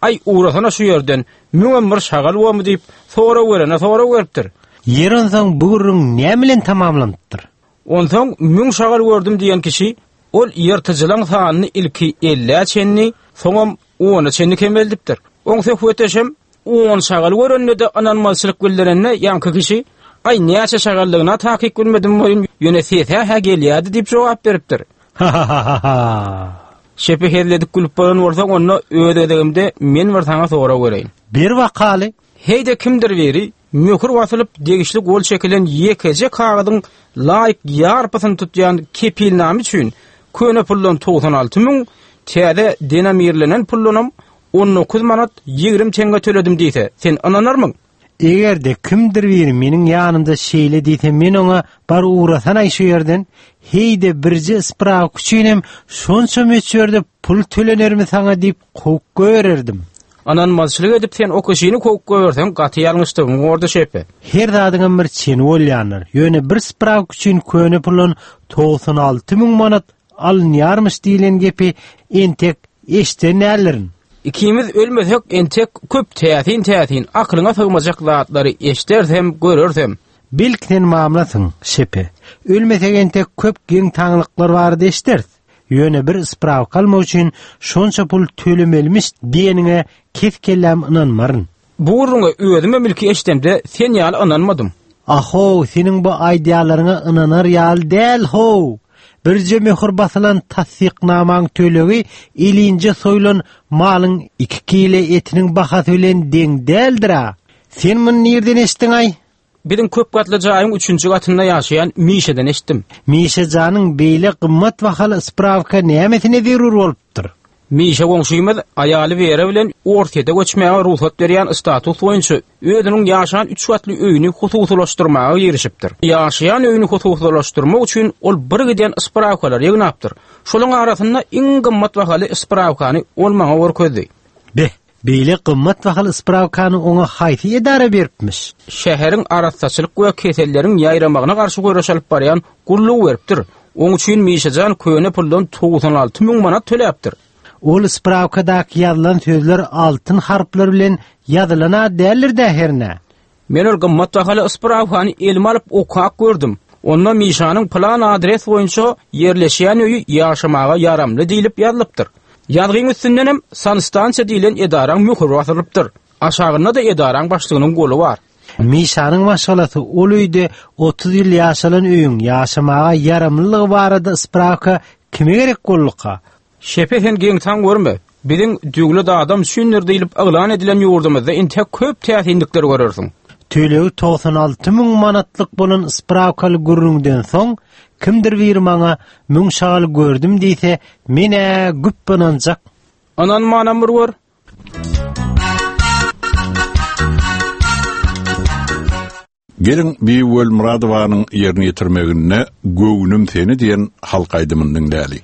Aý, ugrasana şu ýerden, müňem bir şagal bormy diýip, sorag berene sorag beripdir. Ýeri onsoň bu gürrüň näme bilen tamamlanypdyr? Onsoň müň şagal gördüm diýen kişi ol ýyrtyjylaň sanyny ilki ellä çenli, soňam ona çenli kemeldipdir. Oň söhbetdeşem on şagal görende-de ynanmazçylyk bildirende ýaňky kişi, Aý, näçe şagaldygyna takyk bilmedim welin, ýöne sese-hä gelýärdi diýip jogap beripdir. Ha-ha-ha-ha! Şepe hezil edip gülüp bolan bolsaň, onda öz gezegimde men bir saňa sorag bereýin. Ber bakaly. Heý-de kimdir biri möhür basylyp, degişli gol çekilen ýekeje kagyzyň laýyk ýarpysyny tutýan kepilnama üçin köne puldan 96 müň, täze denomirlenen puldanam 19 manat 20 teňňe töledim diýse, sen ynanarmyň? Eger-de kimdir biri meniň ýanymda şeýle diýse, men oňa bar ugrasanaý şu ýerden, heý-de birje sprawka üçinem şonça möçberde pul tölenermi saňa diýip kowup goýbererdim. Ynanmazçylyk edip sen o kişini kowup goýberseň gaty ýalňyşdygyň bordy şepe. Her zadyňam bir çeni bolýandyr. Ýöne bir sprawka üçin köne puldan 96 müň manat alynýarmyş diýlen gepi entek eşden däldirin. Ikimiz ölmesek entek köp täsin-täsin akylyňa sygmajak zatlary eşdersem, görersem. Belki sen mamlasyň, şepe. Ölmesek entek köp geň-taňlyklar barada eşderis. Ýöne bir sprawka almak üçin şonça pul tölemelimiş diýeniňe kes-kelläm ynanmaryn. Bu gürrüňe özümem ilki eşdemde sen ýaly ynanmadym. A-how, seniň bu aýdýanlaryňa ynanar ýaly däl-how! Birje möhür basylan tassyknamaň tölegi elinje soýlan malyň iki kile etiniň bahasy bilen deň däldir-a! Sen muny nirden eşitdiň-aý? Biziň köp gatly jaýyň üçünji gatynda ýaşaýan Mişeden eşitdim. Mişe janyň beýle gymmat bahaly sprawka nämesine zerur bolupdyr? Mişe goňşymyz aýaly Wera bilen Orsýete göçmäge rugsat berýän status boýunça özüniň ýaşan üç gatly öýüni hususylaşdyrmaga girişipdir. Ýaşaýan öýüni hususylaşdyrmak üçin ol birgiden sprawkalary ýygnapdyr. Şolaň arasynda iň gymmat bahaly sprawkany ol maňa görkezdi. Beh, Beýle gymmat bahaly sprawkany oňa haýsy edara beripmiş? Şäheriň arassaçylyk we keselleriň ýaýramagyna garşy göreş alyp barýan gullugy beripdir. Oň üçin Mişajan köne puldan 96 müň manat töläpdir. Ol sprawkadaky ýazylan sözler altyn harplar bilen ýazylan-a däldir-dä hernä? Men ol gymmat bahaly sprawkany elime alyp okap gördüm. Onda Mişanyň pylan adres boýunça ýerleşýän öýi ýaşamaga ýaramly diýlip ýazylypdyr. Ýazgyň üstündenem sanstansiýa diýlen edaraň möhüri basylypdyr. Aşagynda-da edaraň başlygynyň goly bar. Mişanyň maşgalasy ol öýde 30 ýyl ýaşalan öýüň ýaşamaga ýaramlylygy barada sprawka kime gerek bolduka? Şepe sen geň-taň görme. Biziň döwlet adam üçindir diýlip yglan edilen ýurdumyzda intek köp täsinlikler görersiň. Tölegi 96 müň manatlyk bolan sprawkaly gürrüňden soň, kimdir biri maňa müň şagal gördüm diýse, men-ä güp ynanjak. Ynanmanam bir gör. Geliň, Bibi Welmyradowanyň ýerine ýetirmeginde Göwnüm seni diýen halk aýdymyny diňläli.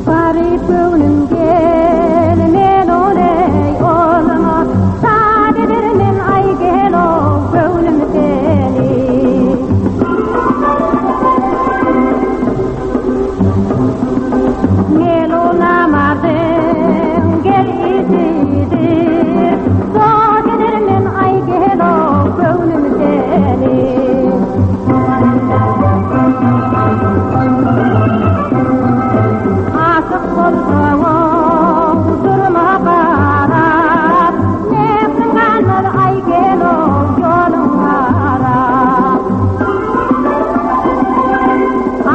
Garyp göwnüm gel, men oleý olma, Şat edermen aý gel-ow, göwnüm seni.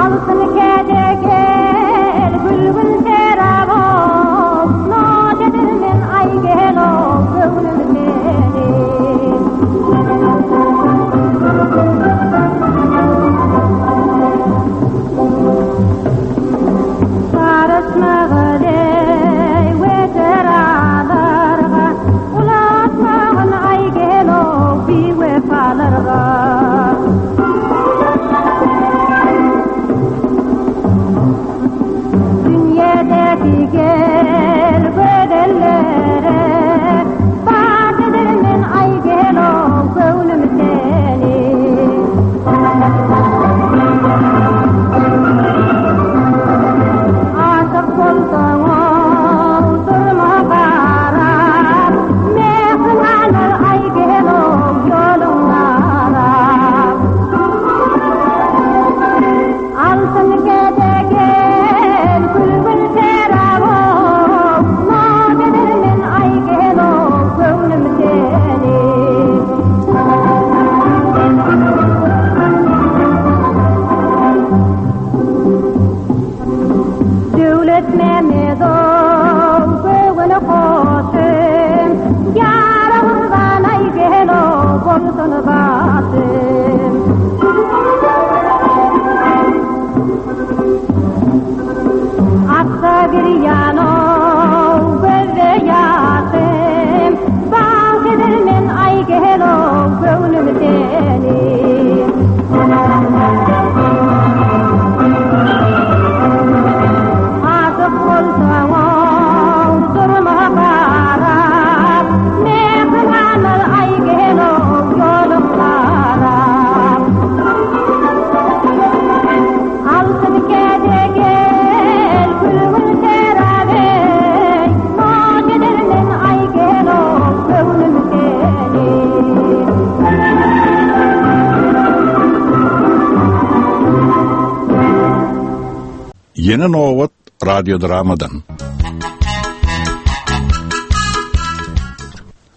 Altyn käde gel, gül-gül şerap ol, Noş edermen aý gel-ow, göwnüm seni. Garaşmagyl eý weteralarga, Ulatmagyn aý gel-ow, biwepalarga. Dünýedäki gel gözellere Bar edermen aý gel-ow göwnüm seni. Aşyk bolsaň-ow durma garap, Mähriň galar aý gel-ow ýoluň arap. Altyn käde gel, gül-gül şerap-ow, Naz edermen aý gel-ow göwnüm seni. Döwlet Mämmedow göwün hoşum, Ýara gurban aý gel-ow bolsun başym. Aksa girýan-ow gözde ýaşym, Bagş edermen aý gel-ow göwnüm seni. Aşyk bolsaň-ow durma garap, Mähriň galar aý gel-ow ýoluň garap. Altyn käde gel, gül-gül şerap eý, Noş edermen aý gel-ow göwnüm seni. Ýene nobat radiodramadan.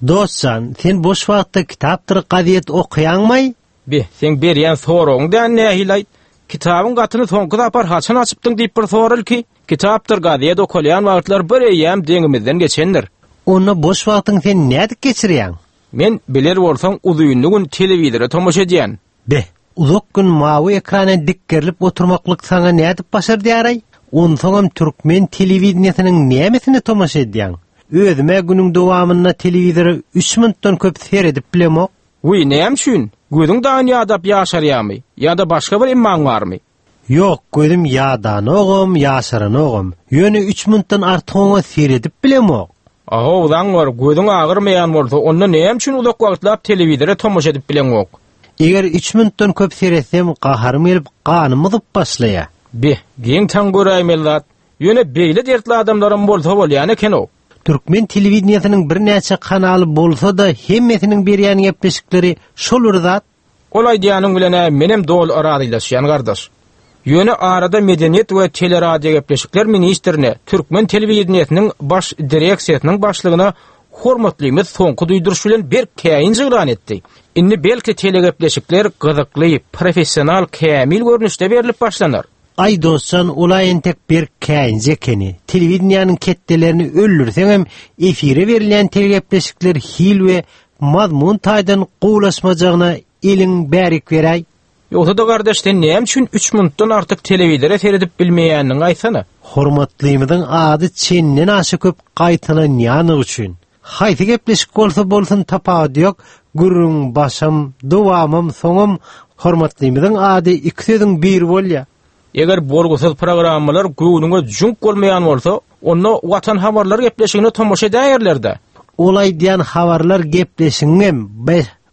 Dostjan, sen boş wagtda kitapdyr gazet okaýaňmaý? Be, seň berýän soragyň dä nähili-aýt? Kitabyň gatyny soňky sapar haçan açypdyň diýip bir sora ilki. Kitapdyr gazet okalýan wagtlar bir eýýäm deňimizden geçendir. Onda boş wagtyňy sen nädip geçirýäň? Men, biler bolsaň, uzynly gün telewizora tomaşa edýän. Be, uzak gün mawy ekrana dikgerilip oturmaklyk saňa nädip başardýar-aý? Onsoňam türkmen telewideniýesiniň nämesine tomaşa edýäň? Özüm-ä günüň dowamynda telewizora üç minutdan köp seredip bilemok. Wiý, näme üçin? Gözüň daýyn ýadap ýaşarýamy? Ýa-da başga bir emmaň barmy? Ýok, gözüm ýadanogam, ýaşaranogam. Ýöne üç minutdan artyk oňa seredip bilemok. Ahow, zaňňar, gözüň agyrmaýan bolsa, onda näme üçin uzak wagtlap telewizora tomaşa edip bileňok? Eger üç minutdan köp seretsem, gaharym gelip, ganym gyzyp başlaýar. Be, geň-taň göräýmeli zat. Ýöne beýle dertli adamlaram bolsa bolýan eken-ow. Türkmen telewideniýesiniň birnäçe kanaly bolsa-da hemmesiniň berýän gepleşikleri şol bir zat. Ol aýdýanyň bilen-ä menem doly razylaşýan gardaş. Ýöne arada Medeniýet we teleradiogepleşikler ministrine, türkmen telewideniýesiniň baş direksiýasynyň başlygyna hormatlymyz soňky duýduryş bilen berk käýinç yglan etdi. Indi belki telegepleşikler gyzykly, professional, kämil görnüşde berlip başlanar. Aý dostjan ol-a entek berk käýinji ekeni. Telewideniýäniň ketdelerini öldürseňem efire berilýän telegepleşikler hil we mazmun taýdan gowulaşmajagyna eliň bärik beräý. Ýogsa-da gardaş sen näme üçin üç minutdan artyk telewizora seredip bilmeýändiňi aýtsana. Hormatlymyzyň ady çenden aşa köp gaýtalanýanlygy üçin. Haýsy gepleşik bolsa bolsun tapawudy ýok, gürrüňiň başam, dowamam, soňam hormatlymyzyň ady iki sözüň biri bolýa. Eger bolgusyz programmalar göwnüňe jüňk bolmaýan bolsa, onda Watan habarlar gepleşigine tomaşa edäýerler-dä. Ol aýdýan habarlar gepleşigiňem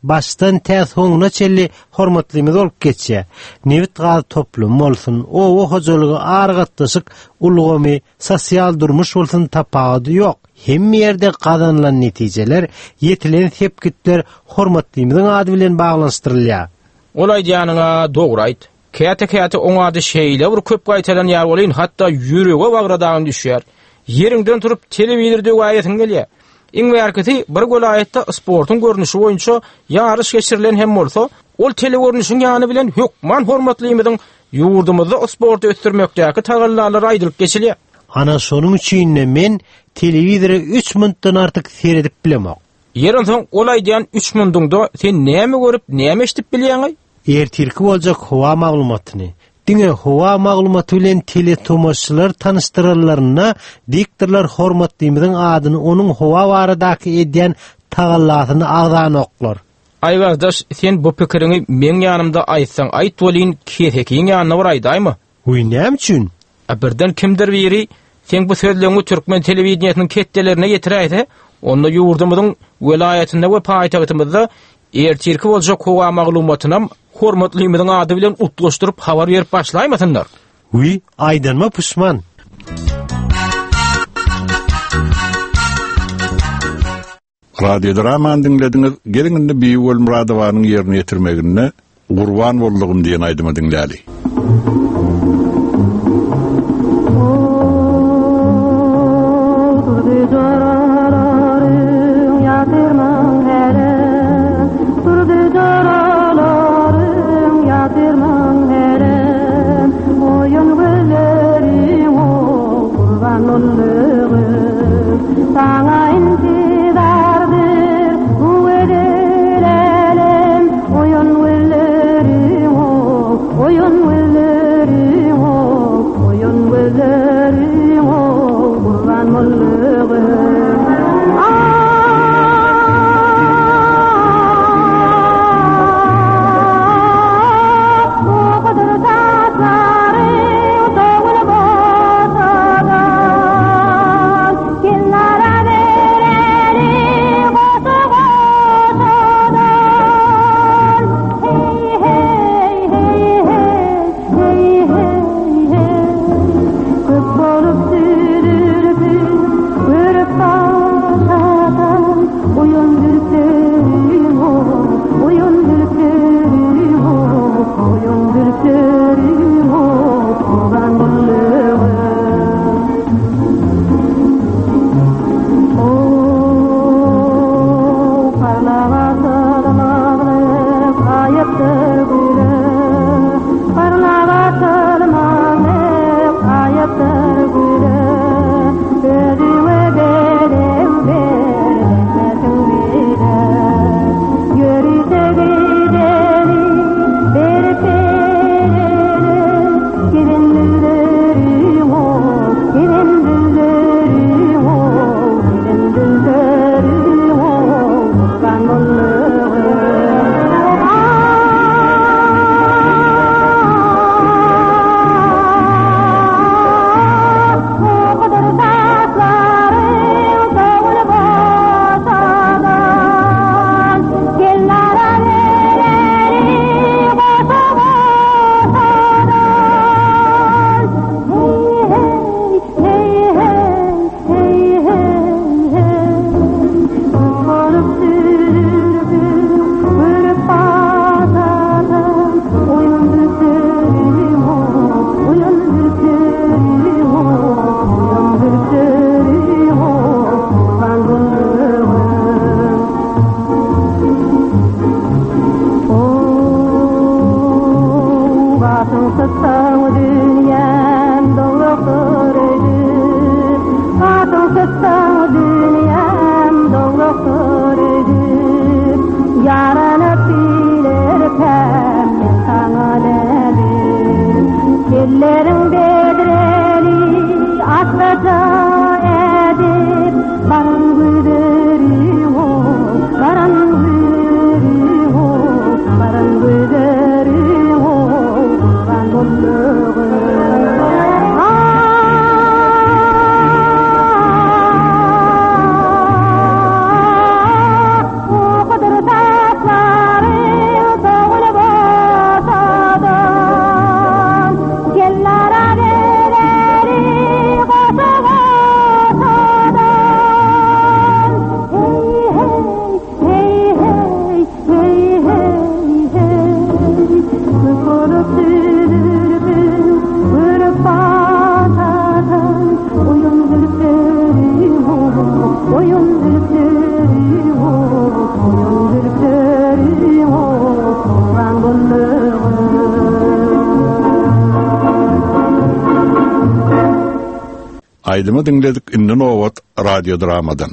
başdan tä soňuna çenli hormatlymyz bolup geçýär. Nebit-gaz toplumy bolsun, oba hojalygy, aragatnaşyk ulgamy, sosial durmuş bolsun tapawudy ýok. Hemme ýerde gazanylan netijeler, ýetilen sepgitler hormatlymyzyň ady bilen baglanyşdyrylýar. Ol aýdýanyň-a dogry aýt. Käte-käte oň ady şeýle bir köp gaýtalanýar welin, hatda ýürege bagra dagyn düşýär. Ýeriňden turup telewizor döwäýesiň gelýär. Iň bärkisi, bir welaýatda sportuň görnüşi boýunça ýaryş geçirilen hem bolsa, ol telegörnüşiň ýany bilen hökman hormatlymyzyň ýurdumyzda sporty ösdürmekdäki tagallalary aýdylyp geçilýär. Ana şonuň üçin-de men telewizora üç minutdan artyk seredip bilemok. Ýeri onsoň ol aýdýan üç munduňda sen näme görüp, näme eşidip bilýäň-aý? Ertirki boljak howa maglumatyny, diňe howa maglumaty bilen teletomaşaçylary tanyşdyranlarynda diktorlar hormatlymyzyň adyny onuň howa baradaky edýän tagallasyny agzanoklar. Aý gardaş, sen bu pikiriňi meň ýanymda aýtsaň aýt welin, kesekiň ýanynda bir aýdaýma. Wiý, näme üçin? A birden kimdir biri seň bu sözleňňi türkmen telewideniýesiniň ketdelerine ýetiräýse, onda ýurdumyzyň welaýatynda we paýtagtymyzda ertirki boljak howa maglumatynam hormatlymyzyň ady bilen utgaşdyryp habar berip başlaýmasynlar. Wiý, aýdanyma puşman. Radiodramany diňlediňiz, geliň indi Bibi Welmyradowanyň ýerine ýetirmeginde Gurban boldugym diýen aýdymy diňläli. Aýdymy diňledik, indi nobat radiodramadan.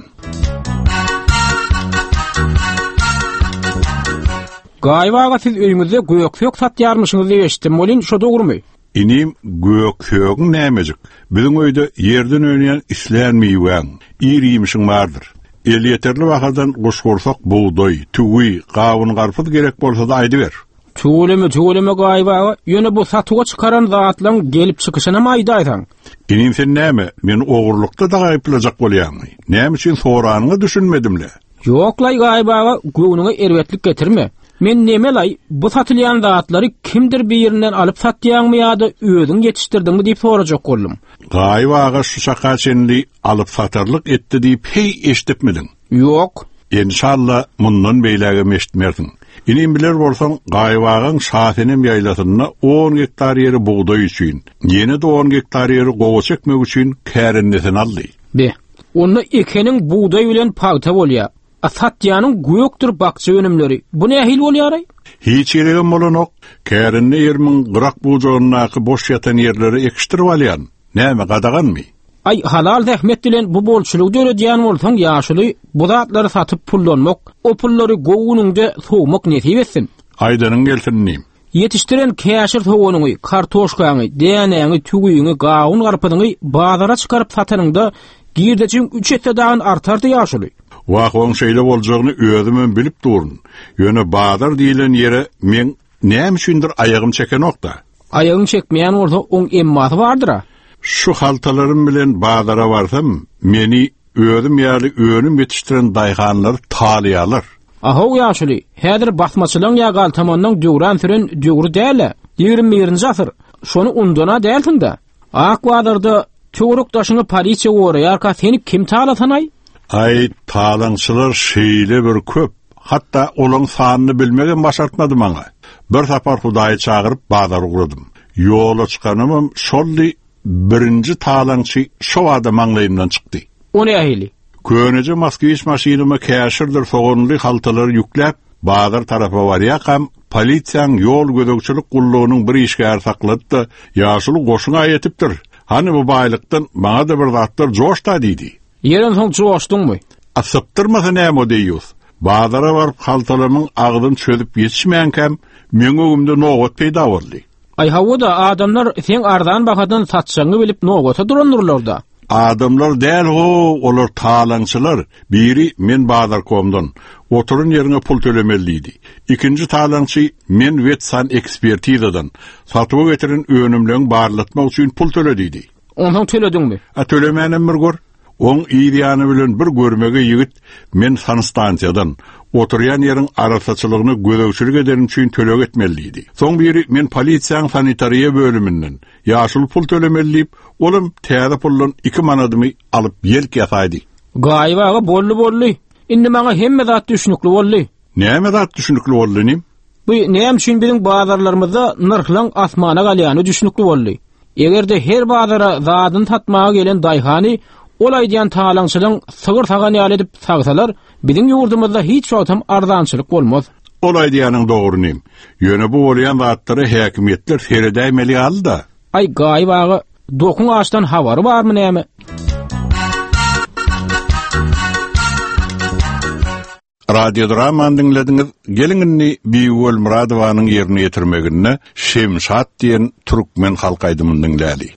Gaýyp aga siz öýüňizde gök-sök satýarmyşyňyz diýip eşitdim welin şo dogrumy? Inim, gök-sögüň nämejik? Biziň öýde ýerden önýän islän miwäň, ir-iýmişiň bardyr. Elýeterli bahadan guşgursak bugdaý, tüwi, gawun-garpyz gerek bolsa-da aýdyber. Tüweleme, tüweleme Gaýyp aga, ýöne bu satuwa çykaran zatlaň gelip çykyşynam aýdaýsaň. Inim sen näme, meni ogurlykda dagy aýyplajak bolýaňmy? Näme üçin soranyňa düşünmedim-le. Ýok-laý Gaýyp aga, göwnüňe erbetlik getirme. Men neme-laý, bu satylýan zatlary kimdir birinden alyp satýaňmy ýa-da özüň ýetişdirdiňmi diýip sorajak boldum. Gaýyp aga şu çaka çenli alyp-satarlyk etdi diýip heý eşidipmidiň? Ýok. Enşalla, mundan beýlägem eşitmersiň. Inim biler bolsaň, Gaýyp agaň Şasenem ýaýlasynda on gektar ýeri bugdaý üçin, ýene-de on gektar ýeri gowaça ekmek üçin kärendesine aldy. Be, onda ekeniň bugdaý bilen pagta bolýa, a satýanyň gökdür bakja önümleri. Bu nähili bolýaraý? Hiç geregem bolanok. Kärende ýerimiň gyrak-bujagyndaky boş ýatan ýerleri ekişdirip alýan. Näme, gadaganmy? Aý, halal zähmet bilen bu bolçulygy döredýän bolsaň, ýaşuly, bu zatlary satyp pullanmak, o pullary gowy günüňde sowmak nesip etsin. Aýdanyň gelsin, inim. Ýetişdiren käşir soganyňy, kartoşkaňy, dänäňi, tüwiňi, gawun-garpyzyňy bazara çykaryp satanyňda, girdejiň üç esse dagyn artardy, ýaşuly. Wah, oň şeýle boljagyny özümem bilip durun. Ýöne bazar diýlen ýere meň näme üçindir aýagym çekenok-da. Aýagyň çekmeýän bolsa, oň emmasy bardyr-a. Şu haltalarym bilen bazara barsam, meni özüm ýaly önüm ýetişdiren daýhanlar talaýarlar. A-how, ýaşuly, häzir basmaçylaň ýa galtamanlaň döwran süren döwri däl-ä. 21-nji asyr. Şony undan-a dälsiň-dä. Ak bazarda töwerek-daşyňy polisiýa goraýarka seni kim talasanaý? Aý, talaňçylar şeýle bir köp, hatda olaň sanyny bilmegem başartmady maňa. Bir sapar Hudaýy çagyryp bazara ugradym. Ýola çykanymam şoldy, birinji talaňçy şo bada maňlaýymdan çykdy. O nähili? Köneje Moskwiç maşynyma käşirdir soganly haltalary ýükläp, bazar tarapa barýarkam, polisiýaň ýol gözegçilik gullugynyň bir işgäri saklady-da, Ýaşuly goşuň-a ýetipdir. Hany bu baýlykdan maňa-da bir zatlar joş-da diýdi. Ýeri onsoň joşduňmy? A sypdyrmasa näme o deýýus? Bazara baryp haltalarymyň agzyny çözüp ýetişmänkäm, meň öňümde nobat peýda boldy. Aý hawa-da, adamlar seň arzan bahadan satjagyňy bilip nobata durandyrlar-da. Adamlar däl-how, olar talaňçylar. Biri men bazarkomdan, oturan ýeriňe pul tölemeli diýdi. Ikinji talaňçy men wetsanekspertizadan, satuwa getiren önümleňi barlatmak üçin pul töle diýdi. Onsoň tölediňmi? A tölemänem bir gör. Oň yz ýany bilen bir görmegeý ýigit men sanstansiýadan, oturýan ýeriň arassaçylygyna gözegçilik edenim üçin töleg etmeli diýdi. Soň biri men polisiýaň sanitariýa bölüminden, ýaşuly pul tölemeli diýip, olam täze puldan iki manadymy alyp ýelk ýasaýdy. Gaýyp aga boldy boldy. Indi maňa hemme zat düşnükli boldy. Näme zat düşnükli boldy inim? Bu näme üçin biziň bazarlarymyzda nyrhlaň asmana galýany düşnükli boldy. Eger-de her bazara zadyny satmaga gelen daýhany ol aýdýan talaňçylaň sygyr sagan ýaly edip sagsalar, biziň ýurdumyzda hiç wagtam arzançylyk bolmaz. Ol aýdýanyň dogry inim. Ýöne bu bolýan zatlara häkimiýetler seredäýmeli ýaly-da. Aý Gaýyp aga, dokuň açdan habary barmy näme? Radiodramany diňlediňiz. Geliň indi Bibi Welmyradowanyň ýerine ýetirmeginde Şemşat diýen türkmen halk aýdymyny diňläli.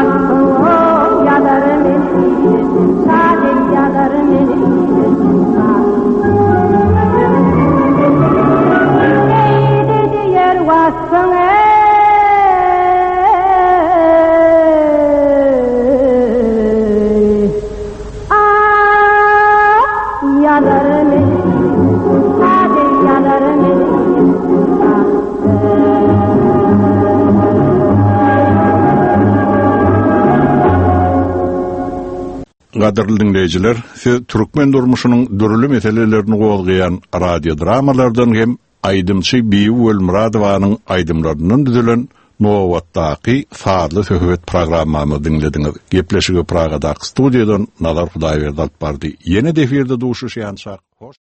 Waspyň ýazar meni, Şa deý ýazar meni. Eýdi diýer waspyň eý. Ah, ýazar meni, Şa deý ýazar meni. Gadyrly diňleýjiler, siz türkmen durmuşynyň dürli meselelerini gozgaýan radiodramalardan hem aýdymçy Bibi Welmyradowanyň aýdymlaryndan düzülen nobatdaky sazly söhbet programmamyzy diňlediňiz. Gepleşigi Pragadaky studiýadan Nazar Hudaýberdi alyp bardy. Ýene-de efirde duşuşýançak, hoş.